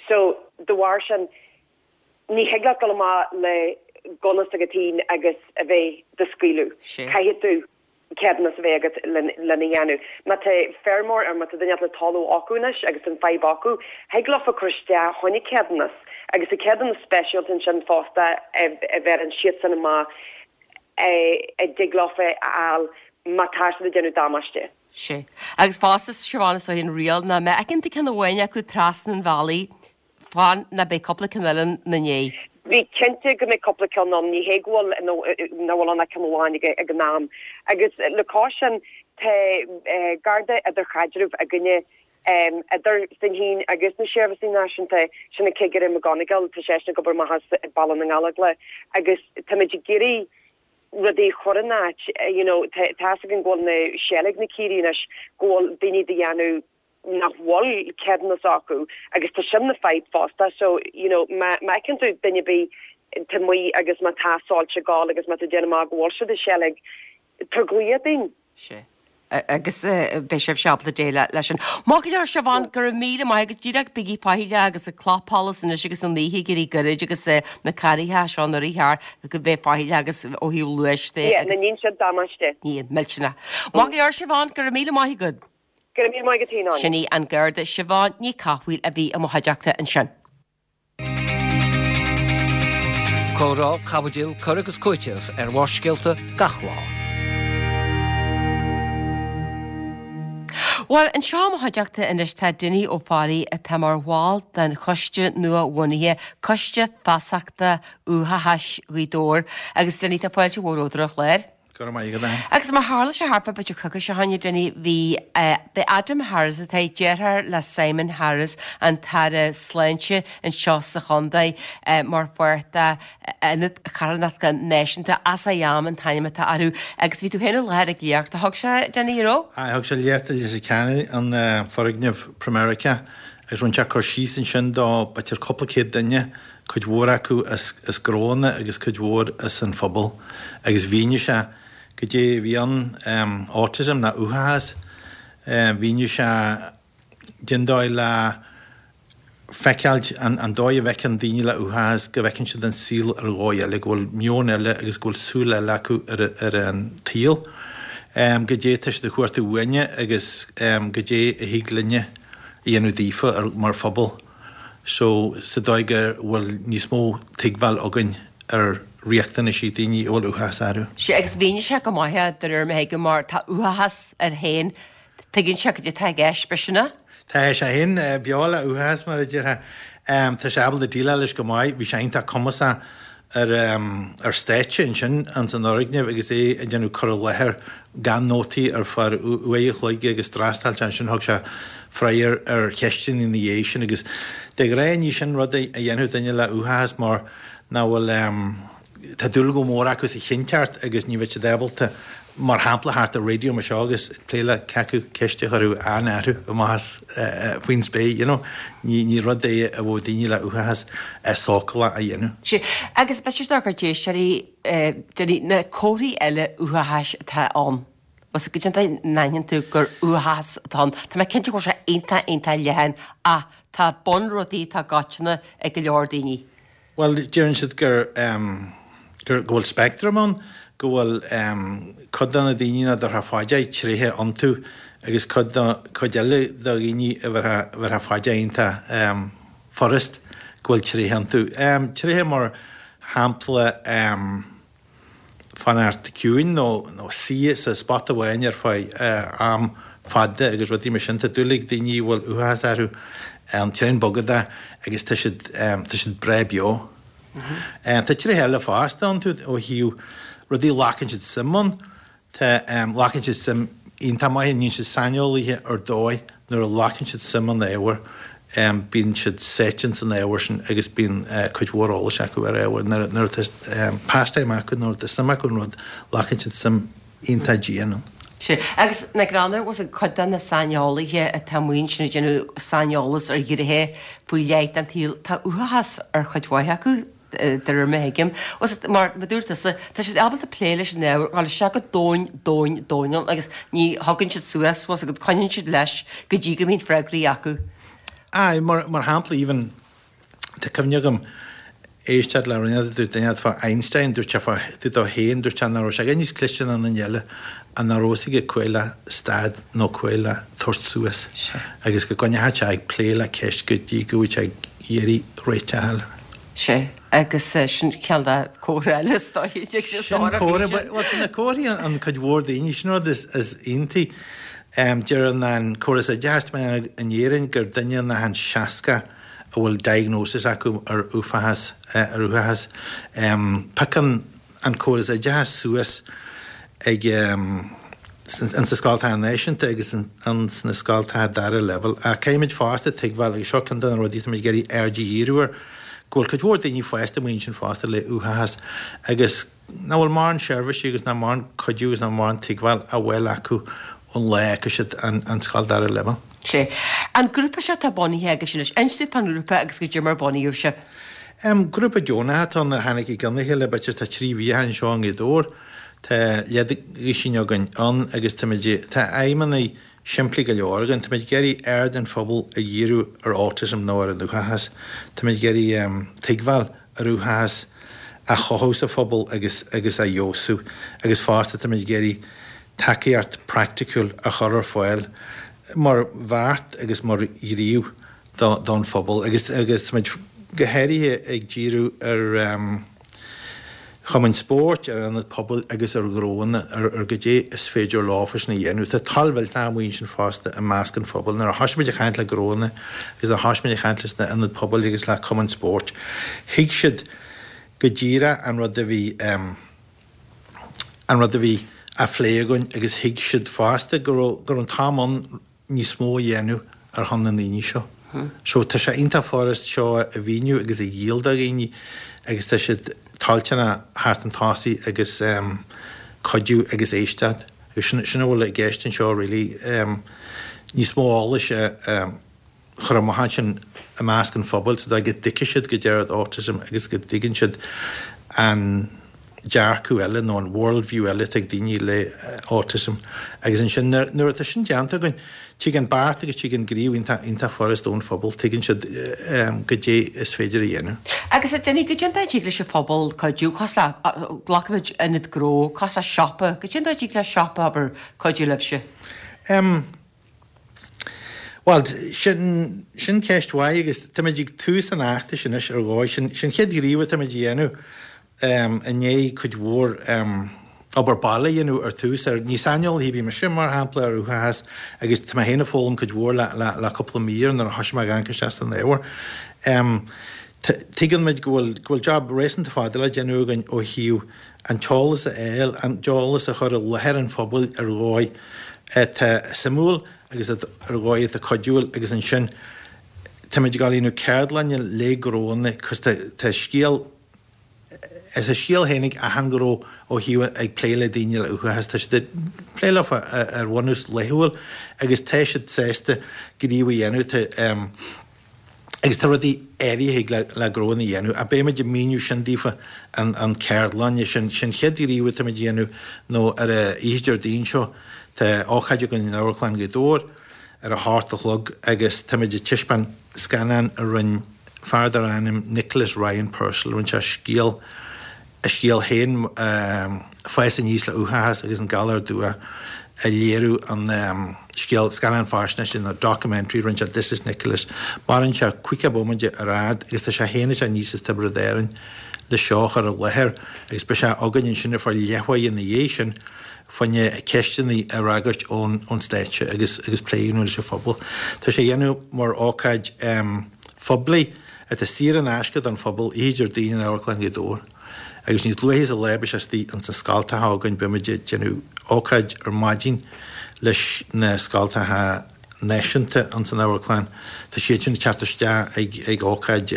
So de bharr sin ní thig leat dul amach le gunna s'agat féin agus a bheith do scaoileadh. Caithfidh tú ceadúnas a bheith agat lena dhéanamh. Má tá feirmeoir or má tá duine le talamh acu anois agus tá an fadhb acu, thig leofa cur isteach choinne ceadúnas agus tá ceadúnas speisialta ansin fosta a bheireann siadsan amach a dtig leofa a fháil má tá siad ag déanamh damáiste. Sea. Agus fosta, Siobhán, is dóigh an riail ná má fheiceann tú ceann amháin acu trasna an bhealaigh, fan ná beidh cúpla ceann eile ina ndiaidh. Bí cinnte go mbeidh cúpla ceann ann, ní hé go bhfuil, nach bhfuil ann ach ceann amháin ag an am. Agus le cois sin, tá Garda idirchaidrimh againne Idir sinn féin agus na Seirbhísí Náisiúnta, sin an Cigire McGonigal, tá seisean ag obair amach as Baile na nGallóglach agus táimid ag iarraidh rudaí a chur in áit, you know, tá fhios againn go bhfuil na seilg na caoirigh anois, go bhfuil daoine do dhéanamh nach bhfuil ceadúnas acu agus tá sin na fadhb fosta so, you know, má fheiceann tú duine ar bith tá amuigh agus má tá soilse ag gabháil agus má tá déanamh amach go bhfuil siad ag seilg, tabhair glaoch dúinn. Sea. Agus beidh sibh ábalta déileáil leis sin. Maith go leor, Siobhán, go raibh míle maith agat. Díreach bígí faichilleach agus ag clapsholas anois agus an oíche ag éirí goirid agus na carraithe seo an uair cheart go bheith faichilleach agus ó thaobh luais de Yeah, agus. ní dhéanann siad damáiste. Ní, millteanach. Maith go leor, Siobhán, go raibh míle maith agat. Go raibh míle maith agat féin, Áine. Sin í an Garda Siobhán Ní Cathmhaoil a bhí i mo chuideachta ansin. Comhrá, caibidil, cur agus cúiteamh ar Bharrscéalta gach lá. Bhuel, anseo i mo chuideachta anois tá Dinny Ó Fearraigh atá mar bhall den choiste nua-bhunaithe, Coiste Feasachta Uathachais Ghaoth Dobhair. Agus Dinny, tá fáilte mhór romhat ar an chlár. Go raibh maith agat, Ann. Agus mar tharla sé thart fá b'fhéidir coicís ó shin, a Dinny, bhí, b'é Adam Harris atá deartháir le Simon Harris, an tAire Sláinte anseo sa chontae, mar pháirt de Ionad Carthanachta Náisiúnta, As I Am an t-ainm atá orthu. Agus bhí tú féin i láthair ag léacht a thug sé, Dinny, an raibh? Aye, thug sé léacht i Leitir Ceanainn, an foirgneamh Pramerica, agus rinne sé cur síos ansin do b'fhéidir cúpla céad duine, cuid mhór acu as gnóanna agus cuid mhór as an phobal, agus mhínigh sé goidé a bhí ann, autism ná uathachas, mhínigh sé cén dóigh le feiceáilt, an dóigh a bhfeiceann daoine le uathachas, go bhfeiceann siad an saol ar dhóigh eile, go bhfuil meon eile agus go bhfuil súil eile acu ar an tsaol, goidé atá siad ag cuartú uainne agus goidé a thig linne a dhéanamh daofa mar phobal. so sa dóigh go bhfuil níos mó tuigbheáil againn ar riachtanaisí daoine a bhfuil uathachas orthu. Sea, agus mhínigh sé go maith é, de réir mar a thuigim, mar tá uathachas air féin, tuigeann sé cad é atá i gceist, b'shin é? Tá sé féin beo le uathachas, mar a déarfá. Tá sé ábalta déileáil leis go maith, bhí sé iontach cumasach ar ar stáitse ansin ins an fhoirgneamh agus é ag déanamh cur i láthair gan nótaí ar feadh uair a chloig agus d'fhreastail sé ansin thug sé freagra ar cheisteanna ina dhiaidh sin agus de ghnáth ní sin rud a dhéanfadh duine le uathachas mar nach bhfuil tá dúil go mór acu sa chinnteacht agus ní bheadh siad ábalta mar shampla thart ar raidió mar seo agus ag plé le cé acu ceist a chuirfeadh Ann orthu amach as faoin spéir, you know. Ní, ní rud é a bheadh daoine le uathachas sócúlach a dhéanamh. Sea, agus b'fhéidir dár gcuid éisteoirí, Dinny, na comharthaí eile uathachais atá ann. Bhfuil a fhios agat cén dóigh a n-aithníonn tú gur uathachas atá ann. Tá mé cinnte go bhfuil sé iontach, iontach leathan ach tá bunrudaí atá coitianta ag go leor daoine. Bhuel, deireann siad gur, gur, go bhfuil speictream ann, go bhfuil cuid de na daoine nach dtabharfá fá dear tréithe iontu agus cuid de, cuid eile de dhaoine a bhéarfá, a bhéarfá fá dear iontach furast go bhfuil tréithe iontu. Tréithe mar shampla, fanacht ciúin nó suí sa spot amháin ar feadh am fada agus rudaí mar sin. Tá dúil ag daoine a bhfuil uathachas orthu an tréan bogadach agus tá siad tá siad breá beo. Tá tréithe eile fosta iontu ó thaobh rudaí a ghlacann siad suim ann. Tá, glacann siad suim iontach maith, níonn siad saineolaithe ar dóigh nuair a ghlacann siad suim in ábhar, bíonn siad sáite ins an ábhar sin agus bíonn cuid mhór eolais acu ar ábhar. Nuair, nuair atá pastime acu, nuair atá suim acu in rud, glacann siad suim iontach dian ann. Sea, agus nach greannmhar, bhfuil a fhios agat cuid de na saineolaithe atá amuigh ansin ag déanamh saineolas ar ghnéithe faoi leith den tsaol, tá uathachas ar chuid mhaith acu. de réir mar a thuigim. Mar a dúirt tusa, tá siad ábalta plé leis an ábhar, dul isteach go domhain, domhain, domhain ann agus ní thugann siad suas, bhfuil a fhios agat, coinníonn siad leis go dtí go mbíonn freagraí acu. Aye, mar, mar shampla, even, tá cuimhne agam éisteacht le rud a dúirt duine fá Einstein, dúirt sé fá, dúirt dó féin, dúirt sé nach raibh sé níos cliste ná an duine eile ach nach raibh a fhios aige cá huair le stad nó cá huair le tabhairt suas agus go gcoinneodh sé ag plé le ceist go dtí go bhfuil sé ag iarraidh réiteach a fháil. Sea, agus sin ceann de comhartha eile is dóiche. Sin comhartha, bhuel tá na comharthaí an cuid mhór daoine, sin rud is iontaí. Deireann an córas oideachais tá mé in Éirinn gur duine in achan 60 a bhfuil diagnosis acu ar uafachas, ar uathachas. Piocann an córas oideachais suas ag in sa scoltacha náisiúnta agus in sna scoltacha dara leibhéal. Ach caithfimid fosta tuigbheáil, agus seo ceann de na rudaí atá muid ag iarraidh aird a dhíriú air, go bhfuil cuid mhór daoine fásta amuigh ansin fosta le uathachas agus nach bhfuil mórán seirbhísí agus nach mórán cuidiú agus nach mórán tuigbheáil á bhfáil acu ón lá a fhágfaidh siad an scoil dara leibhéal. Sea. An grúpa seo atá bunaithe agaibhse anois, inis dúinn fán ngrúpa agus goidé mar a bunaíodh sibh. Grúpa deonach atá ann a tháinig i gcionn a chéile, b'fhéidir tá 3 mhí anseo i nGaoth Dobhair. Tá leathduisín againn ann agus táimid, tá aidhmeanna simplí go leor againn. Táimid ag iarraidh aird an phobail a dhíriú ar autism nó ar an uathachas. Táimid ag iarraidh tuigbheáil ar uathachas a chothú sa phobal agus agus a fheabhsú agus fosta táimid ag iarraidh tacaíocht praiticiúil a chur ar fáil. mar bheart agus mar ghníomh don phobal agus agus táimid go háirithe ag díriú ar chumainn spóirt, ar ionaid pobail agus ar ghnóanna ar goidé is féidir leofa sin a dhéanamh. Tá toil mhillteach amuigh ansin fosta i measc an phobail. Nuair a thoisigh muid ag caint le gnóanna agus nuair a thoisigh muid ag caint leis na ionaid pobail agus le cumainn spóirt, thuig siad go díreach an rud a bhí an rud a bhí á phlé againn agus thuig siad fosta go raibh go raibh an t-am ann níos mó a dhéanamh ar shon na ndaoine seo. So tá sé iontach furast seo a mhíniú agus a dhíol do dhaoine agus tá siad toilteanach theacht chun tosaigh agus cuidiú agus éisteacht agus sin sin a bhfuil i gceist anseo really níos mó eolais a chur amach ansin i measc an phobail sa dóigh go dtuigfidh siad goidé rud autism agus go dtuigeann siad an dearcadh eile nó an world view eile atá ag daoine le autism agus ansin nuair atá sin déanta againn tig an beart agus tig an gníomh iontach iontach furast ón phobal, tuigeann siad goidé is féidir a dhéanamh. Agus a Dinny, goidé an dóigh a dtig leis an phobal cuidiú, cosúil le, glacfaimid ionad gnó, cosúil le siopa, goidé an dóigh a dtig le siopa, abair, cuidiú libhse? Em. Bhuel, sin, sin ceist mhaith agus táimid ag tús an fheachtais anois ar dhóigh. Sin, sin an chéad ghníomh atáimid a dhéanamh i ndiaidh cuid mhór obair baile a dhéanamh ar tús ar, ní saineolaí ar bith mise mar shampla ar uathachas agus tá mé féin ag foghlaim cuid mhór le, le, le cúpla mí nuair a thoisigh mé ag amharc isteach san ábhar. Tuigeann muid go bhfuil, go bhfuil job réasúnta fada le déanamh againn ó thaobh an t-eolas a fháil, an t-eolas a chur i láthair an phobail ar dhóigh atá suimiúil agus ar dhóigh atá cuidiúil agus ansin táimid ag dul a dhéanamh ceardlainne le gnóanna cos tá tá scéal is a scéal féin ag achan ghnó ó thaobh ag plé le daoine le uathachas, tá siad ag plé leofa ar bhunús laethúil agus tá siad sásta gníomh a dhéanamh tá agus tá rudaí áirithe thig le gnóanna a dhéanamh, ach beidh muid ag míniú sin daofa an ceardlainne sin. Sin chéad ghníomh atá muid a dhéanamh nó ar an oíche Déardaoin seo tá ócáid againn in Amharclann Ghaoth Dobhair ar a hocht a chlog agus tá muid ag taispeáint scannán a rinne fear dar ainm Nicholas Ryan Purcell, rinne sé scéal a scéal féin, fás aníos le uathachas agus an galar dubhach a léiriú an scéal, scannán faisnéise nó documentary, rinne sé This is Nicholas. Maireann sé 50 bomaite ar fhad agus tá sé féin ag teacht aníos as Tiobraid Árann le seo a chur i láthair agus beidh sé againn ansin ar feadh leathuair ina dhiaidh sin fá choinne ceisteanna a fhreagairt ón stáitse agus agus plé a dhéanamh leis an phobal. Tá sé á dhéanamh mar ócáid phoiblí. atá saor in aisce don phobal, oíche Déardaoin in Amharclann Ghaoth Dobhair. Agus níos luaithe sa lá beidh sé istigh ins na scoltacha againn, beidh muid ag déanamh ócáid ar maidin leis na scoltacha náisiúnta ins an amharclann. Tá siad sin ag teacht isteach ag ag ócáid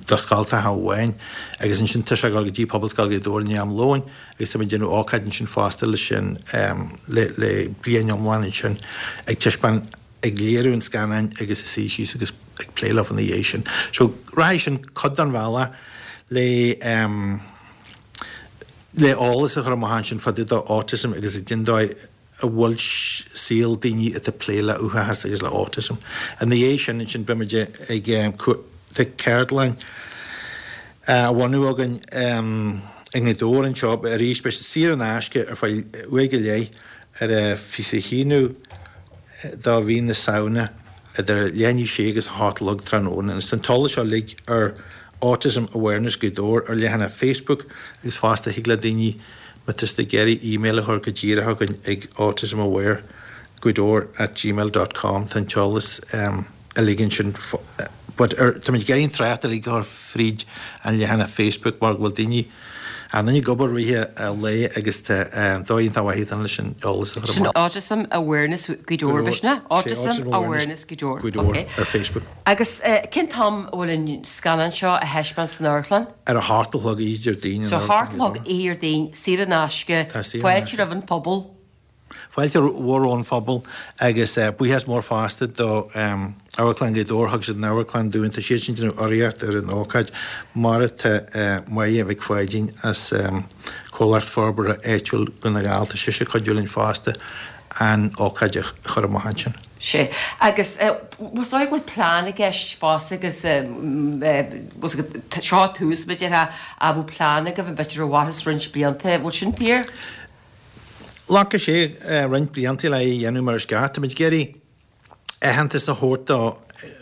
do scoltacha amháin agus ansin tá sé ag dul go dtí Pobalscoil Ghaoth Dobhair i ndiaidh am lóin agus tá muid ag déanamh ócáid ansin fosta leis sin le le bliain iomlán ansin ag taispeáint ag léiriú an scannáin agus ag suí síos agus ag plé leo ina dhiaidh sin. So rachaidh sin cuid den bhealach le em le eolas a chur amach ansin fá dtaobh de autism agus cén dóigh a bhfuil saol daoine atá ag plé le uathachas agus le autism. Ina dhiaidh sin ansin beimid ag em tá ceardlann á bhunú againn em i nGaoth Dobhair anseo arís beidh sé saor in aisce ar feadh uair go leith ar a 21ú de mhí na Samhna idir leath i ndiaidh a sé agus a hocht a chlog tráthnóna. Agus tá an t-eolas seo uilig ar Autism Awareness Gaoth Dobhair ar leathanach Facebook agus fosta thig le daoine má tá siad ag iarraidh email a chur go díreach chugainn ag autismawaregaothdobhair at gmail dot com tá an t-eolas uilig ansin but ar táimid ag iarraidh an trácht uilig a chur fríd an leathanach Facebook mar go bhfuil daoine an ag obair rith an lae agus tá dóigh iontach mhaith atá ann leis an eolas a chur Sin amach. Autism Awareness Gaoth Dobhair, b'shin é? Autism Awareness Gaoth Dobhair, Gaoth Dobhair ok. ar Facebook. Agus cén t-am a bhfuil an scannán seo á thaispeáint san amharclann? Ar a hocht a chlog oíche Déardaoin in So hocht a chlog oíche Déardaoin, saor in aisce, Tá saor in fáilte roimh an phobal. Fáilte mhór ón phobal agus buíochas mór fosta do Amharclann Ghaoth Dobhair, thug siad an amharclann dúinn, tá siad sin ag déanamh urraíocht ar an ócáid, mar atá Máire Mhic Pháidín as Comhlacht Forbartha Áitiúil Dhún na nGall, tá sise ag cuidiú linn fosta an ócáid a chur amach ansin. Sea. Agus is dóigh go bhfuil plean i gceist fosta agus seo tús, b'fhéidir, ach bhfuil plean agaibh an b'fhéidir a mhairfeas roinnt blianta, bhfuil sin fíor? Ghlacfadh sé roinnt blianta le é a dhéanamh mar is ceart. Táimid ag iarraidh aitheantas a thabhairt do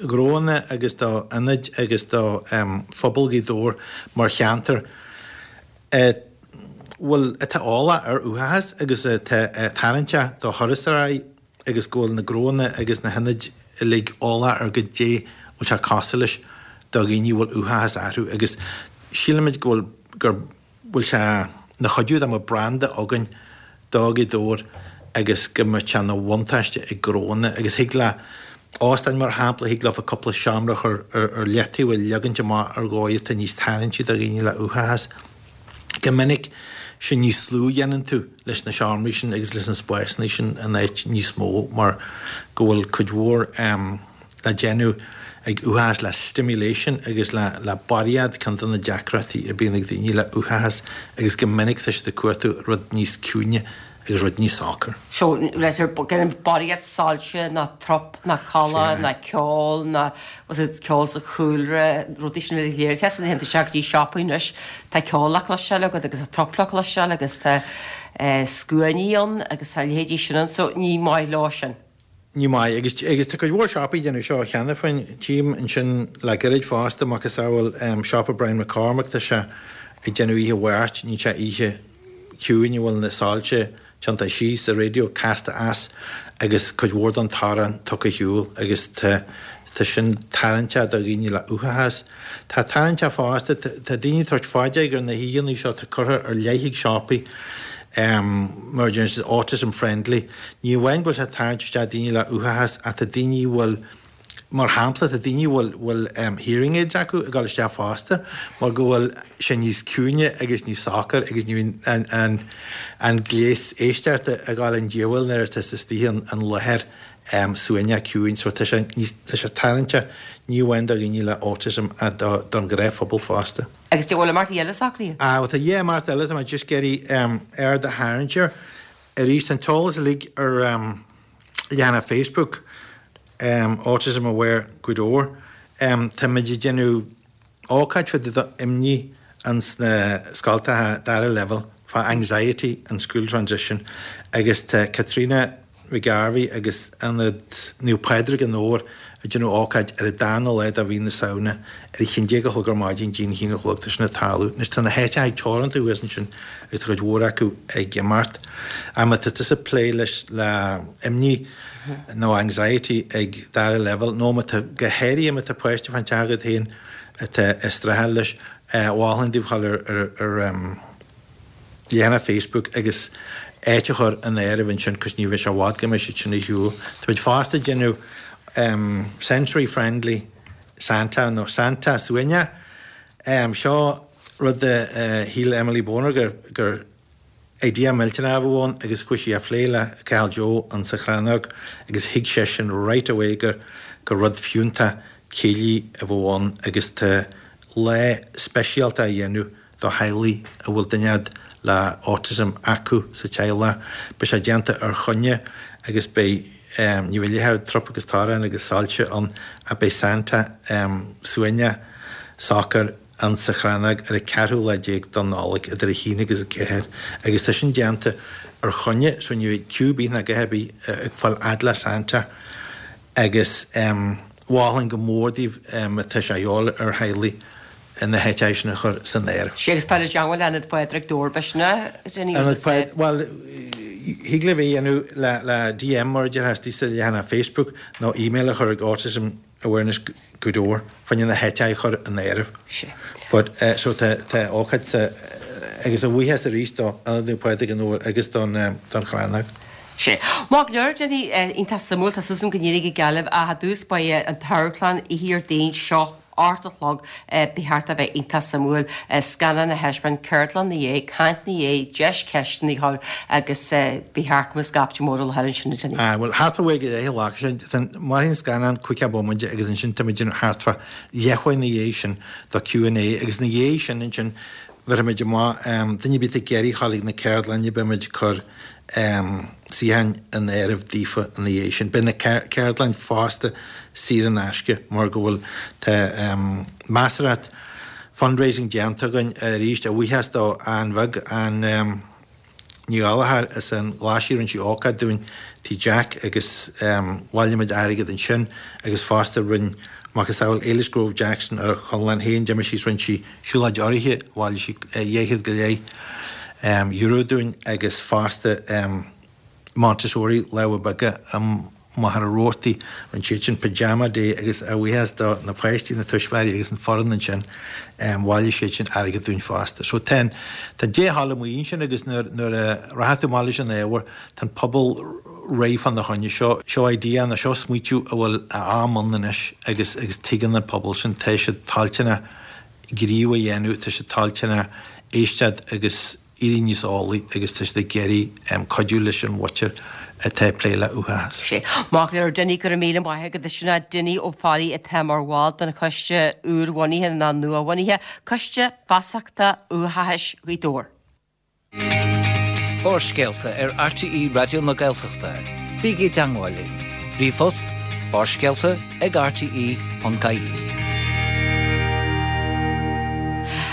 ghnóanna agus do ionaid agus do phobal Ghaoth Dobhair mar cheantar a bhfuil, atá eolach ar uathachas agus atá tarraingteach do thurasóirí agus go bhfuil na gnóanna agus na hionaid uilig eolach ar goidé bhfuil sé cosúil leis do dhaoine a bhfuil uathachas orthu agus sílimid go bhfuil, gur. bhfuil sé 'na chuidiú dá mbeadh branda againn do Ghaoth Dobhair agus go mbeadh sé 'na bhuntáiste ag gnóanna agus thig le óstáin mar shampla, thig leofa cúpla seomra a chur ar leataobh a leagaint amach ar dhóigh atá níos tarraingtí do dhaoine le uathachas. Go minic, sin níos lú a dhéanann tú leis na seomraí sin agus leis na spásanna sin in áit níos mó mar go bhfuil cuid mhór le déanamh ag uathachas le stimulation agus le le barraíocht, ceann de na deacrachtaí a bíonn ag daoine le uathachas agus go minic tá siad ag cuartú rud níos ciúine agus rud níos socair. So, gan barraíocht soilse ná trup ná codladh ná ceol ná was it ceol sa chúlra, rudaí sin uilig léir. Tá san isteach go dtí siopaí anois, tá ceol le cloisteáil agat agus tá trup le cloisteáil agus tá scuainí ann agus tá a leithéidí sin ann so ní maith leo sin. Ní maith. Agus, agus tá cuid mhór siopaí ag déanamh seo cheana féin. Tchím ansin le gairid fosta, macasamhail siopa Brian McCormack, tá sé ag déanamh oíche Mháirt, níl sé oíche chiúin a bhfuil na soilse tiontaithe síos, an raidió casta as agus cuid mhór den torann tugtha ar shiúl agus tá, tá sin tarraingteach do dhaoine le uathachas. Tá tarraingteach fosta, tá daoine ag tabhairt fá dear gur na hoícheanna seo atá curtha ar leith ag siopaí mar a deireann siad autism friendly. Ní amháin go bhfuil sé ag tarraingt isteach daoine le uathachas ach tá daoine a bhfuil, mar shampla, tá daoine a bhfuil bhfuil hearing aids acu ag dul isteach fosta mar go bhfuil sé níos ciúine agus níos socair agus ní bhíonn an an an gléas éisteachta ag dul i ndíobháil nuair atá tú istigh in láthair suaimhneach ciúin so tá sé níos, tá sé tarraingteach ní amháin do dhaoine le autism ach do, don ghnáthphobal fosta. Agus an bhfuil imeachtaí eile socraithe? Ah bhuel tá dhá imeacht eile tá mé just ag iarraidh aird a tharraingt air. Arís tá an t-eolas uilig ar leathanach Facebook Autism Aware Gaoth Dobhair. Táimid ag déanamh ócáid fá dtaobh d'imní ins na scoltacha dara leibhéal fá anxiety and school transition agus tá Caitríona McGarvey agus Ionad Naomh Pádraig i nDobhar ag déanamh ócáid ar an darna lá de mhí na Samhna ar a haon déag a chlog ar maidin dtí'n haon a chlog tá sin ag tarlú. Anois tá na háiteacha teoranta thuas ansin agus tá cuid mhór acu ag imeacht. Ach má tá tusa ag plé leis le imní nó anxiety ag dara leibhéal nó má tá, go háirithe má tá páiste fán teach agat féin atá ag streachailt leis, mholfainn daoibh dhul ar ar leathanach Facebook agus áit a chur in áireamh ansin cos ní bheidh sé i bhfad go mbeidh siad sin ar shiúl. Táimid fosta ag déanamh sensory friendly Santa nó Santa suaimhneach. Seo rud a shíl Emily Boner gur gur idea millteanach a bheadh ann agus chuaigh sí á phlé le Cathal Joe insa Chrannóg agus thuig seisean right away gur gur rud fiúntach céilí a bheadh ann agus tá lá speisialta á dhéanamh do theaghlaigh a bhfuil duine acu le autism acu sa teaghlach. Beidh sé déanta ar choinne agus beidh, ní bheidh a leithéid trup agus torann agus soilse ann ach beidh Santa suaimhneach socair ann sa Chrannóg ar an ceathrú lá déag don Nollaig idir a haon agus a ceathair agus tá sin déanta ar choinne so ní bheidh queue ar bith ná a dhath ar bith ag fáil fhad le Santa agus mholfainn go mór daoibh má tá sé a dhíobháil ar theaghlaigh na háiteacha sin a chur san áireamh. Sea, agus tá le teagmháil le Ionad Phádraig Dobhair b'shin é, Dinny, agus. Ionad Phádraig, bhuel, thig libh é a dhéanamh le le DM mar a déarfá istigh sa leathanach Facebook nó email a chur ag Autism Awareness Gaoth Dobhair fá choinne na háiteacha a chur in áireamh. Sea. But so tá tá ócáid sa agus a bhuíochas arís do Ionad Naomh Pádraig i nDobhar agus don don Chrannóg. Sea. Maith go leor, Dinny, iontach suimiúil, tá súil agam go n-éireoidh go geal libh ach i dtús beidh an t-amharclann oíche Dhéardaoin seo 8 a chlog, ba cheart a bheith iontach suimiúil, scannán a thaispeáint, ceardlann ina dhiaidh, caint ina dhiaidh, deis ceisteanna a chur agus ba cheart go mbeadh scaifte mór i láthair ansin, a Dinny. Aye, bhuel, thart fá uair go leith a ghlacfaidh sé. Mairfidh an scannán caoga bomaite agus ansin tá muid thart fá leathuair ina dhiaidh sin do Q and A agus ina dhiaidh sin ansin bhéarfaimid amach duine ar bith atá ag iarraidh a ghabháil ag na ceardlainne beimid ag cur suíocháin in áireamh daofa ina dhiaidh sin. Beidh na ceardlainn fosta saor in aisce mar go bhfuil tá measarthacht fundraising déanta againn arís a bhuíochas do Ann Bheag, an. Ní Ghallchóir as an Ghlaisigh, rinne sí ócáid dúinn Tigh Jack agus bhailigh muid airgead ansin agus fosta rinne macasamhail Éilis Grove Jackson ar a conlán féin, d'imigh sí is rinne sí siúlóid urraithe, bhailigh sí 200 go leith euro dúinn agus fosta Montessori Lámha Beaga i Machaire Rabhartaigh, rinne siad sin Pyjama Day agus ár bhuíochas do na páistí, na tuismitheoirí agus an foireann ansin, bhailigh siad sin airgead dúinn fosta. So tá an, tá dea-thoil amuigh ansin agus nuair, nuair a rachaidh tú amach leis an ábhar, tá an pobal réidh fána choinne seo. Seo idea nó seo smaoitiú a bhfuil a am ann anois agus, agus tuigeann an pobal sin, tá siad toilteanach gníomh a dhéanamh, tá siad toilteanach éisteacht agus éirí níos eolaí agus tá siad ag iarraidh cuidiú leis an mhuintir atá ag plé le uathachas. Sea. Maith go leor Dinny, go raibh míle maith agat. Sin é Dinny Ó Fearraigh atá mar bhall den choiste úrbhunaithe nó nuabhunaithe, Coiste Feasachta Uathachais Ghaoth Dobhair. Barrscéalta ar RTÉ Raidió na Gaeltachta. Bígí i dteangmháil linn. Ríomhphost, barrscéalta ag rte.ie.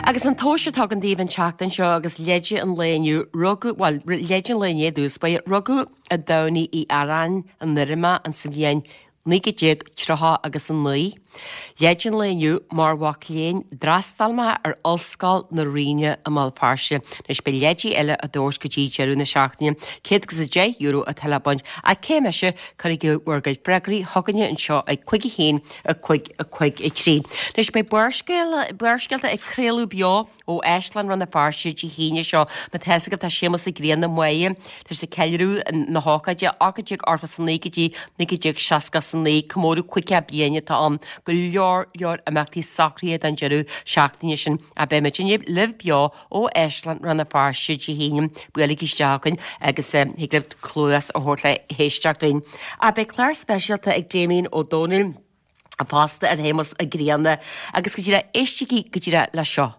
Agus an tomhas atá againn daoibh an tseachtain seo agus leide an lae inniu, rugadh, bhuel, leide an lae inné i dtús báire, rugadh i dTamhnaigh Uí Earáin i nDoire an sa bhliain 1930 agus 9. Leide an lae inniu, mar mhac léinn, d'fhreastail mé ar Ollscoil na Ríona i mBéal Feirste. Anois beidh leidí eile á dtabhairt go dtí deireadh na seachtaine. €110 atá le baint. Ach cé mise, cuirigí bhur gcuid freagraí chugainne anseo ag 5 1 5 5 3. Anois beidh Barrscéalta ag craoladh beo ó Áislann Rann na Feirste Dé hAoine seo. Má tá fhios agaibh tá Séamus Ó Grianna Máire tá sé ag ceiliúradh na hócáide 1889 go dtí 1969, comóradh 50 bliain atá ann. Go leor leor imeachtaí socraithe don deireadh seachtaine sin. Ach beidh muidinne libh beo ó Áislann Rann na Feirste Dé hAoine. Buailigí isteach chugainn agus thig libh cluas a thabhairt le héisteacht linn. Ach beidh clár speisialta ag Damien Ó Dónaill fosta ar Shéamus Ó Grianna agus go díreach éistigí go díreach le seo.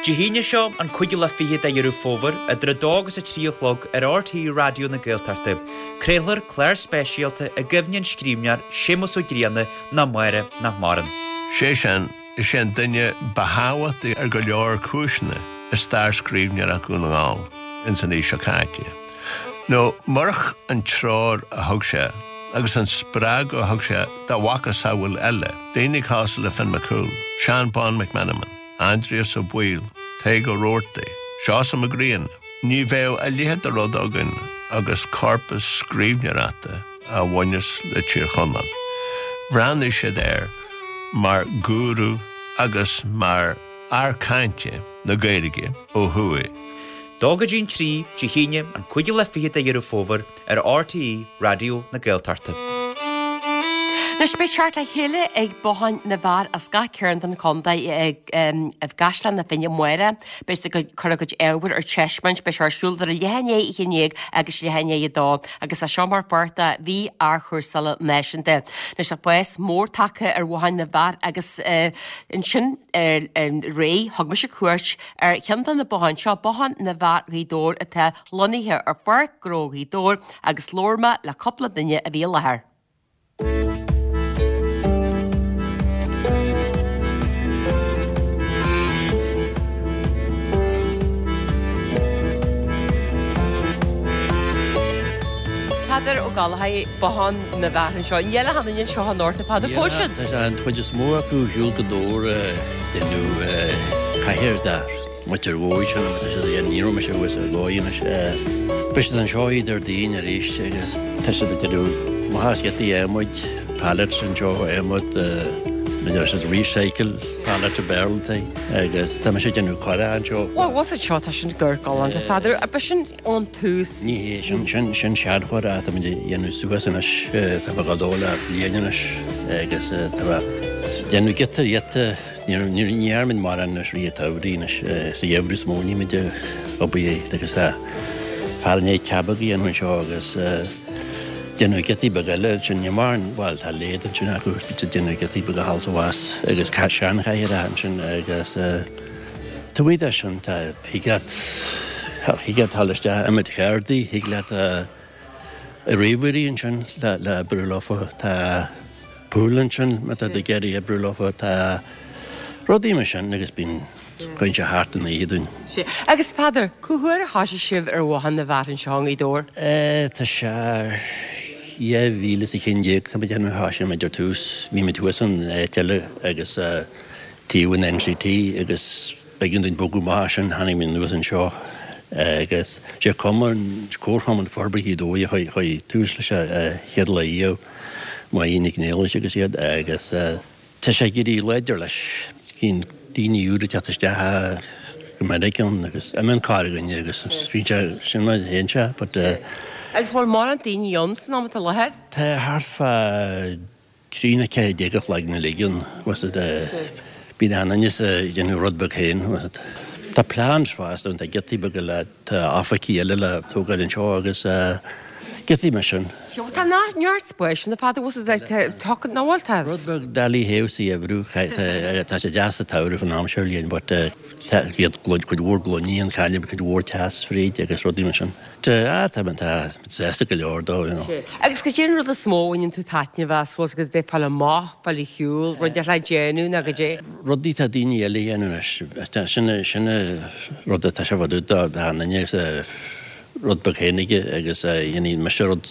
Dé hAoine seo, an cúigiú lá fichead de Dheireadh Fómhair, idir 2 agus 3 a chlog ar RTÉ Raidió na Gaeltachta, craolfar clár speisialta i gcuimhne an scríbhneoir Séamus Ó Grianna nó Máire nach maireann. Sé sin, Is é an duine ba thábhachtaí ar go leor cúiseanna i stair scríbhneoireacht Dhún na nGall ins an aois seo caite. Nó murach an treoir a thug sé agus an spreagadh a thug sé dá mhacasamhail eile, daoine cosúil le Finn McCool, Seán Bán McMenamin, Aindrias Ó Baoill, Tadhg Ó Rabhartaigh, Seosamh Mac Grianna, ní bheadh a leithéid de rud againn agus corpas scríbhneoireachta a bhaineas le Tír Chonaill. Bhreathnaigh siad air mar ghúrú agus mar fhear cainte na Gaeilge ó thuaidh. Dó go dtí'n trí, Dé hAoine, an cúigiú lá fichead de Dheireadh Fómhair, ar RTÉ Raidió na Gaeltachta. Anois beidh teacht le chéile ag Botháin na bhFear as gach cearn den chontae i gCaisleán na Finne amárach. Beidh siad ag cur a gcuid ábhair ar taispeáint. Beidh sé ar siúl idir leath i ndiaidh a haon déag agus leath i ndiaidh a dó agus é seo mar pháirt de mhí athchúrsála náisiúnta. Anois tá fás mór tagtha ar Bhotháin na bhFear agus ansin aréir thug mise cuairt ar cheann de na botháin seo, Bothán na bhFear Ghaoth Dobhair atá lonnaithe ar Pháirc Ghnó Ghaoth Dobhair agus labhair mé le cúpla duine a bhí i láthair. Peadar Ó Gallchóir, Bothán na bhFear anseo. Níl achan duine anseo anocht, a Pheadair, cá bhfuil siad? Tá an chuid is mó acu ar shiúl go Dobhar déanamh cathaoir de Muintir Mhóidh sin tá siad a dhéanamh, ní raibh mise thuas ar dhóigh anois. Beidh siad anseo Déardaoin arís agus tá siad ag déanamh maitheas giotaí adhmaid, pallets anseo, adhmad, a deir siad recycle pallet i Béarla agus tá mise ag déanamh coire anseo. Bhuel, what's it seo, tá sin galánta, Peadar, ab sin ón tús? Ní hé, sin, sin, sin seanchóir atá muid ag déanamh suas anois, tá mé ag dul le bliain anois agus tá mé ag déanamh giota ar ghiota. Ní dhearna muid mórán anois i rith an tsamhraidh anois, sa gheimhreadh is mó a bhí muid ag obair agus tá fear i ndiaidh ceap beag a dhéanamh anseo agus déanamh giotaí beaga eile ansin, ní mórán, bhuel tá lathe ansin acu, bíonn siad déanamh giotaí beaga thall is abhus agus seanchathaoireacha ansin agus taobh amuigh de sin tá, thig leat, thig leat dul isteach iomad cheardaí, thig leat ríomhairí ansin le oibriú leofa, tá. Pool ansin má tá tú ag iarraidh oibriú leofa, tá rudaí mar sin agus bíonn. Cuireann sé thart an oíche dúinn. Sea. Agus Peadar, cá huair a thoisigh sibh ar Bhothán na bhFear anseo i nGaoth Dobhair? Tá sé 2011, tá mé ag déanamh, thoisigh muid ar tús, bhí muid thuas in áit eile agus taobh an NCT agus b'éigean dúinn bogadh amach as sin, tháinig muid anuas anseo agus sé cumann, Comharchumann Forbartha Ghaoth Dobhair a chuir tús leis an chéad lá riamh, Máirín Nic Niallais agus iad agus. Tá sé ag éirí láidir leis. Bíonn daoine úra ag teacht isteach go minic ann agus imíonn corrdhuine agus bíonn sé sin mar a théann sé but. Agus bhfuil mórán daoine ann san am atá i láthair? Tá thart fá 13 nó 14 a chloigeann uilig ann bhfuil a fhios agat. Bíonn achan duine ag déanamh rud beag féin bhfuil a fhios agat. Tá plans fosta ann, tá giotaí beaga le Tá oifigí eile le tógáil anseo agus giotaí mar sin. Sea, tá neart spáis ann, a Pheadair, bhfuil a fhios agat, tá, nach bhfuil, tá. Rud beag doiligh théamh sa gheimhreadh, tá sé deas sa tsamhradh fán am seo bhliain but tá cuid mhór gloiní ann, cailleann cuid mhór teas fríd agus rudaí mar sin. Tá, tá, tá sásta go leor dó, you know. Sea. Agus cad é an rud is mó a bhaineann tú taitneamh as, bhfuil a fhios agat, bheith ag fáil amach, fáil ar shiúl, rud ar le déanamh nó cad é? Rudaí atá daoine eile a dhéanamh anois, sin sin rud atá sé fá dtaobh de achan duine agus rud beag féin aige agus dhéanfaidh mise rud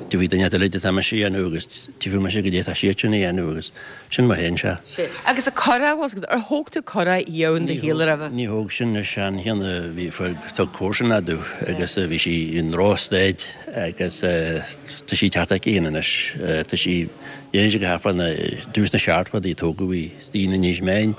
tífidh duine eile atá mise a dhéanamh agus tífidh mise goidé atá siadsan a dhéanamh agus sin mar a théann sé. Sea. Agus an curach, bhfuil a fhios agat, ar thóg tú curach riamh in do shaol roimhe? Ní thóg sin an seancheann a bhí thug comharsan domh agus bhí sí i ndrochstaid agus tá sí ag teacht aici féin anois. Tá sí, dhéanann sí go thart fá na, dtús na seachtóidí a tógadh í, istigh in Inis Meáin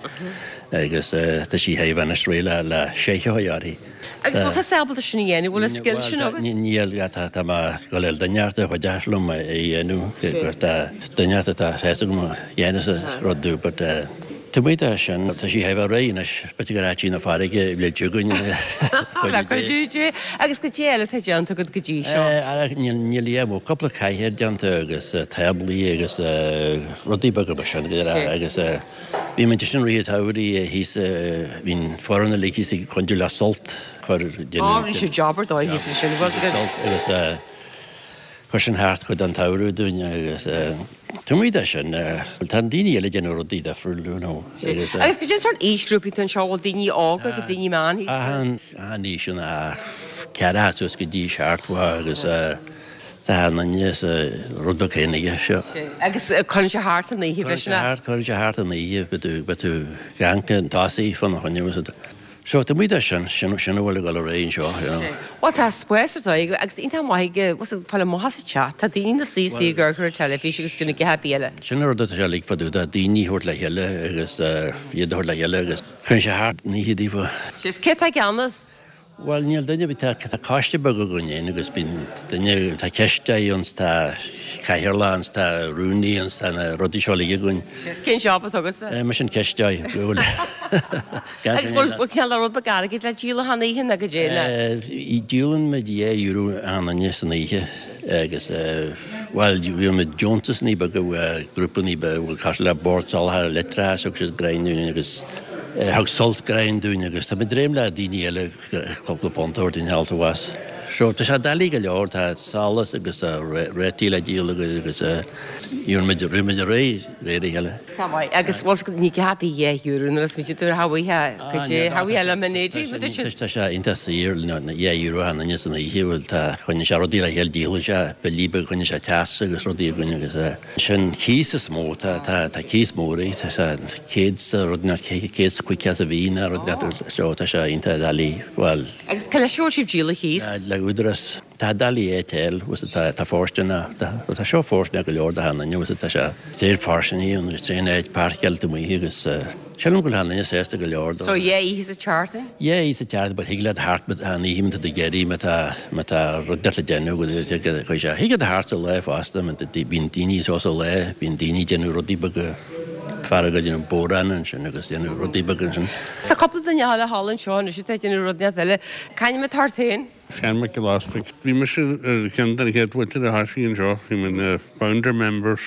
agus tá sí chóir a bheith anois réidh le le seicheamh uirthi. Agus bhfuil tusa ábalta sin a dhéanamh, bhfuil an scil sin agat? Níl, tá mé ag dul le duine inteacht a chuideochas liom é a dhéanamh, gur tá duine inteacht atá fhios agam a dhéanfas an rud domh but taobh amuigh de sin, tá sí chóir a bheith réidh anois, b'fhéidir gur áit í na farraige le dtiocfainn Le cuidiú Dé. Agus cad é eile atá déanta agat go dtí seo? Níl, níl a dhath, cúpla cathaoir déanta agus táblaí agus rudaí beaga mar sin agus bhí muid ansin i rith an tsamhraidh thíos, bhí an foireann uilig thíos ag cuidiú le Sult cur Á, rinne siad job ar dóigh thíos ansin, bhfuil a fhios agat. Sult agus chuir sin thart cuid den tsamhradh dúinn agus taobh amuigh de sin, bhuel tá daoine eile ag déanamh rudaí difriúil, you know agus. Agus cad é an sórt aoisghrúpaí atá anseo, bhfuil daoine óga agus daoine meánaosta? Achan, achan aois ann, ceathracha suas go dtí seachtó agus. Tá an duine sa rud beag féin aige seo. Agus cuireann sé thart an oíche, b'shin é? Cuireann sé thart an oíche, beidh tú ag amharc chun tosaigh fána choinne agus so taobh amuigh de sin, sin sin a bhfuil ag dul ar aghaidh anseo, you know. Bhuel tá spás ar dóigh agus iontach maith aige, bhfuil a fhios agat, fáil amach as an teach, tá daoine ina suí istigh ag amharc ar an teilifís agus déanamh a dhath ar bith eile. Sin an rud atá sé uilig fá dtaobh de, daoine a thabhairt le chéile agus iad a thabhairt le chéile agus cuireann sé thart an oíche daofa. Sea, is cé atá i gceannas? Bhuel, níl duine ar bith, tá coiste beag againn fhéin agus bíonn duine, tá cisteoir ann 's tá cathaoirleach ann 's tá rúnaí ann 's tá na rudaí seo uilig againn. Sea, cén job atá agatsa? Mise an cisteoir, bhuel. Agus bhfuil, bhfuil cineál de rud beag airgid le díol achan oíche nó goidé nó? Díolann muid €2 achan duine san oíche agus bhuel, bhí muid deontasannaí beaga uaidh grúpannaí beaga, bhuel, cosúil le Bord Soláthair Leictreachais, thug siad greim dúinn agus. Thug Sult greim dúinn agus tá muid ag dréim le daoine eile cúpla punt a thabhairt dúinn thall abhus. So tá sé doiligh go leor, tá solas agus réataí le díol agus gheobhaidh muid, rith muid ar aghaidh de réir a chéile. Tá maith agus bhfuil 's ní gá bí €2 nuair is muid ag tabhairt thabhaithe go dtí thabhaithe le Mainéidí, muid sin. Tá sé iontach saor, €2 achan duine san oíche, bhuel tá, choinnigh sé rudaí le chéile, díolann sé billí beaga, choinnigh sé teas agus rudaí againn agus. Sin cíos is mó, tá, tá, tá cíos mór é, tá sé céad 's rud ná 150 sa mhí ná rud so tá sé iontach doiligh, bhuel. Agus cé leis a bhfuil sibh díol an chíos? Le Údarás. Tá doiligh é tel, bhfuil 's tá, tá fóirsteanach, tá, bhuel tá seo fóirsteanach go leor do achan duine, bhfuil 's tá sé tréan fairsingí ann agus tréan áit páirceáil taobh amuigh agus sílim go bhfuil achan duine sásta go leor dó. So yeah, oíche sa tseachtain? Yeah, oíche sa tseachtain but thig leat thart an oíche má tá tú ag iarraidh má tá má tá rud le déanamh go chuir sé thig leat thart sa lá fosta má tá bíonn daoine anseo sa lá bíonn daoine ag déanamh rudaí beaga fear ag déanamh bodhrán ansin agus déanamh rudaí beaga ansin. Tá cúpla duine eile thall anseo anois atá ag déanamh rud eile. C'ainm atá ort féin? Seán Mac Giolla Easpaig. Bhí mise ar cheann de na chéad mhuintir a thoisigh anseo, bhí mé na founder members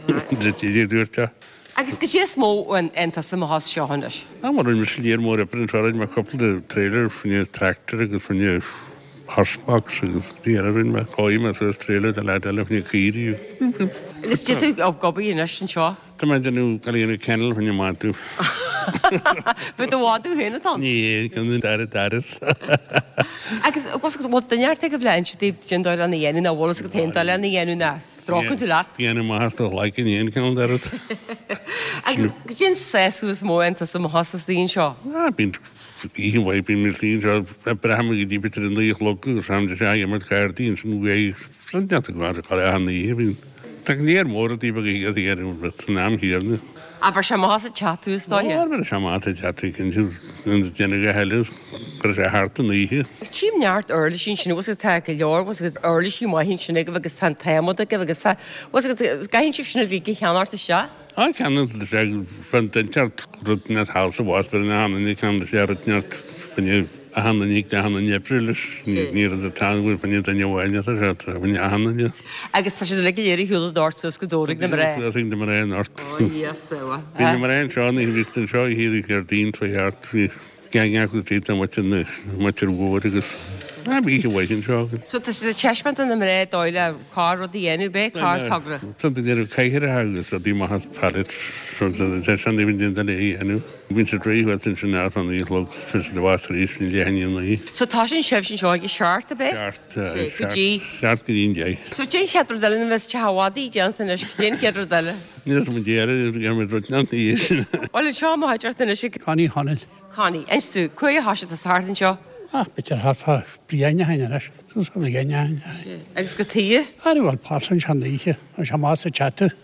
de dúirt é. Agus goidé is mó a dhéanann tusa amach as seo anois? Á, mar rinne mise léar mór oibre anseo, rinne mé cúpla de trailer fá choinne tractor agus fá choinne horse box agus rudaí eile rinne mé, chóirigh mé suas trailer de leaid eile fá choinne caoirigh. Agus goidé tú ag obair anois anseo? Tá mé ag déanamh ag déanamh kennel fá choinne madadh. B'é do mhadadh féin atá ann? Ní hé, ceann den dara daras. Agus bhfuil duine ort ag a bhleá inse daoibh cén dóigh lena dhéanamh nó bhfuil fhios agat féin dóigh lena dhéanamh ná stróiceann tú leat? Déanamh maith as do ghlaic in aon cheann dara. Agus goidé an sásamh is mó a fhaigheann tusa amach as istigh anseo? Ah, bíonn oíche mhaith, bíonn mé istigh anseo, braithim go dtí b'fhéidir a 9 a chlog agus rachaimid isteach ag imirt cártaí ansin uaidh Rud neart go raibh achan oíche. Bhí tá léar mór rudaí beaga a dhéanamh san am chéanna. Ah bheir sé amach as an teach tú is dóiche? Ó bheir sé amach as an teach tú cinnte. Déanamh a thuilleadh go raibh sé thart an oíche. Tchím neart uirlisí ansin bhfuil 's agat tá go leor bhfuil 's agat uirlisí maithe ansin agaibh agus tá an t-adhmad agaibh agus tá bhfuil 's agat gcaitheann sibh sin uilig a cheannacht isteach? Á ceannacht isteach fan duine rud neart thall sa bhás bheir na hanainne ceann isteach rud neart fá achan duine ag achan duine oibriú leis. Ní rud atá ann go bhfuil fá choinne duine amháin atá sé, tá fá choinne achan duine. Agus tá siad uilig go léir ar shiúl ag dart suas go Dobhar ag na mná. Suas ag na mná anocht. Ó Íosa, bhuel. Bhí na mná anseo, ní bhíodh anseo oíche Déardaoin fá cheart, bhí gang acu tríd an muintir na muintir mhór agus ah bhí oíche mhaith anseo againn. So tá siad ag taispeáint do na mná dóigh le corr rud a dhéanamh, b'é corr togra. Tá duine ar cathaoireacha agus rudaí maithe as pallets, so tá sean duine déanta le a dhéanamh. Bíonn siad réidh thuas ansin thart fá naoi a chlog, tá siad abhus arís i leath i ndiaidh a naoi. So tosaíonn sibhse anseo ag a seacht, ab é? Seacht, go dtí? Seacht go dtí an deich. So cén chéad rud eile, nuair a bheas teach an mhadaidh déanta anois, cén chéad rud eile? Níl 'fhios a'm deireadh, déanfaidh muid rud ina dhiaidh sin. Bhuel anseo mo chuid ort anois ag. Connie Chonaill. Connie, inis domh, cá huair a thoisigh tusa thart anseo? Ach b'fhéidir thart fá bliain ó shin anois, suas fá bhliain ó shin, aye. Agus cad chuige? Ara bhuel páirt anseo an oíche, tá sé amach sa teach.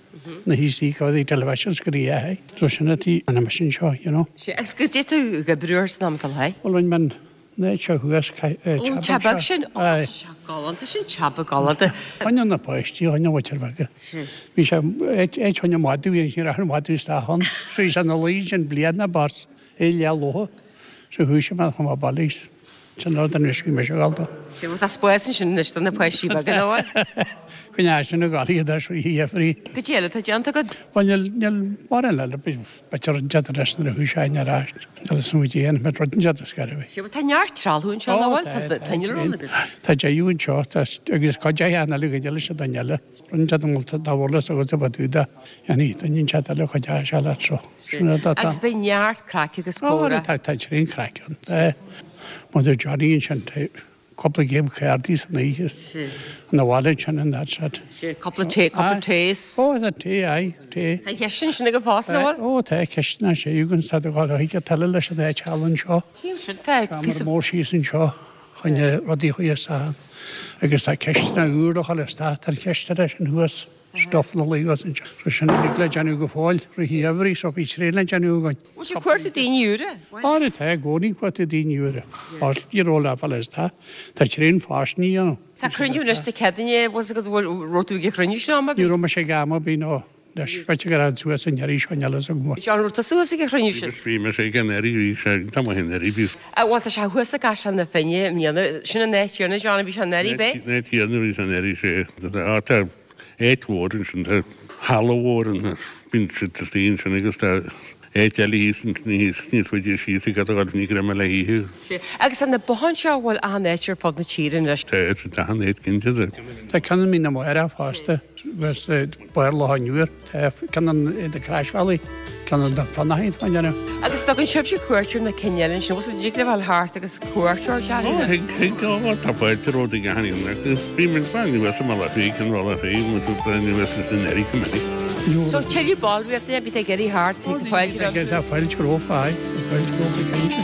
Na híosaí go dtí television screen é. So sin a tí an mission seo, you know. Sea, agus goidé tú ag oibriú air san am atá le. Bhuel, rinne mé an áit seo thuas, teach Ó, teach beag sin. Ó, tá sé galánta sin, teach beag galánta. Choinne na páistí, choinne mhuintir bheaga. Bhí sé, áit choinne madadh, bhí an madadh isteach ann. So bhí sé ina luí ansin bliain na bpáirt, é leath lobhtha. So chuaigh sé amach chun mo baile. Sin rud anois bhí mise ag dul dó. Sea, bhuel tá spás ansin anois do na páistí beaga, nach bhfuil? Coinne sin ag gabháil iad ar shlí Jeffrey. Goidé eile atá déanta agat? Bhuel níl, níl mórán eile, b'fhéidir rud inteacht anois nuair a chuaigh sé ar ais, níl fhios agam goidé an mbeidh rud inteacht is gairbh. Sea, bhuel tá neart trealamh anseo, nach bhfuil? Tá tá innealra ann agus. Tá deichiú anseo, tá, agus cuid de shean eile go leis an duine eile. Rud inteacht an bhfuil dá bhfuil fhios agat a bheith dúda, dhéanfaidh duine inteacht eile cuid de sé leat seo. Agus beidh neart craic agus comhrá. Tá, tá tréan craic ann. Tá Mother Johnny ansin, tá cúpla game cártaí san oíche. Ina bhaile ansin and that's it. Cúpla tae, cúpla taes. Ó, tá tae, aye, tae. Tá cistin ansin agaibh fosta, an bhfuil? Ó, tá cistin ansin agus tá do dhul chuige tuilleadh leis an áit thall anseo. Tchím sin, tá píosa. Seomra mór síos anseo chun rudaí a chur isteach ann. Agus tá cistin úr a chur isteach, tá an chistin sin thuas. Stuif na luí as anseo. So sin uilig le déanamh go fóill, rith an gheimhridh, so bhí tréan le déanamh againn. Bhfuil sé ag cuartú daoine úra? Á tá i gcónaí ag cuartú daoine úra. Á ní raibh le fáil is tá. Tá tréan fáistine a dhéanamh. Tá cruinniú anois Dé Céadaoine, bhfuil 's agat bhfuil raibh tú ag an chruinniú sin am ar bith? Ní raibh mise ag am ar bith nó anois b'fhéidir go raibh suas an iarraidh seo níl fhios agam. John raibh tusa thuas ag an chruinniú sin? Bhí mise ag an iarraidh, bhí sé tá maith an iarraidh, bhí. Bhuel tá sé thuas i gCaisleán na Finne i mbliana, sin an áit chéanna John a bhí sé anuraidh, b'é? An áit chéanna a bhí sé anuraidh, sé. Á tá áit mhór ansin, tá halla mhór ann, bíonn siad istigh ansin agus tá áit eile thíos ansin, thíos níos faide síos ag gabháil ní go raibh mé le hoíche. Sea. Agus tá na botháin seo, bhfuil achan áit ar fud na tíre anois? Tá, tá achan áit cinnte. Tá ceann i Mín na Máire fosta. Agus Barr Loch an Iúir, tá ceann an na Croisbhealaí, ceann an Fionnachaidh atá ann. Agus tugann sibhse cuairt ar na cinn eile ansin, bhfuil dtig libh a ghabháil thart agus cuairt ar Ó, thig, thig, ó, tá fáilte romhat ag achan aon acu. Bhí muid bain uas i mBaile Átha Cliath, ceann Bhaile Átha Cliath, muid ag bain uas leis na nDoirí go minic. So tuilleadh ballraíochta, bhí ag iarraidh thart, thig fáilte romhat. Tá fáilte romhat, aye, tá fáilte romhat cinnte.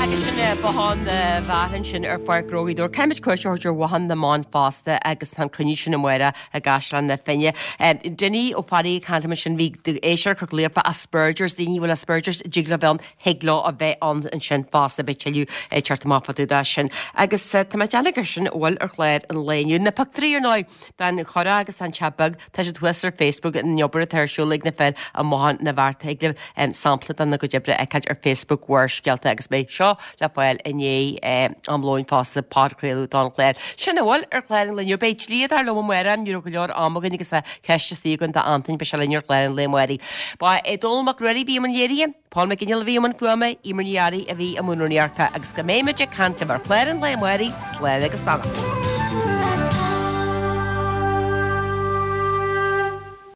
Agus sin é Bothán na bhFear ansin ar Pháirc Ghnó Ghaoth Dobhair. Caithfimid cuairt a thabhairt ar Bhothán na mBan fosta agus tá an cruinniú sin amárach i gCaisleán na Finne. Dinny Ó Fearraigh ag caint liom ansin, bhí éisteoir Corca Dhuibhne Asperger's, daoine a bhfuil Asperger's, dtig leo bheith ann, thig leo a bheith ann ansin fosta, beidh tuilleadh ag teacht amach fá dtaobh de sin. Agus tá mé ag déanamh gur sin a bhfuil ar chlár an lae inniu. Na pictiúirí ar ndóigh den churach agus an teach beag, Tá siad thuas ar Facebook, an obair atá ar siúl ag na fir i mBothán na bhFear. Thig libh sampla dena gcuid oibre a fheiceáilt ar Facebook Bharrscéalta agus beidh seo le fáil i ndiaidh am lóin fosta, podchraoladh don chlár. Sin a bhfuil ar chlár an lae inniu. Beidh dlíodóir liom amárach, ní raibh go leor ama againn agus tá ceist istigh againn d'Antain, beidh sé linn ar chlár an lae amárach. Ba é Dónall Mac Ruairí a bhí i mbun léirithe. Paul McGinley a bhí i mbun fuaime, Eimear Ní Fhearraigh a bhí i mbun rúnaíochta agus go mbeidh muid ag caint libh ar chlár an lae amárach, slán agus beannacht.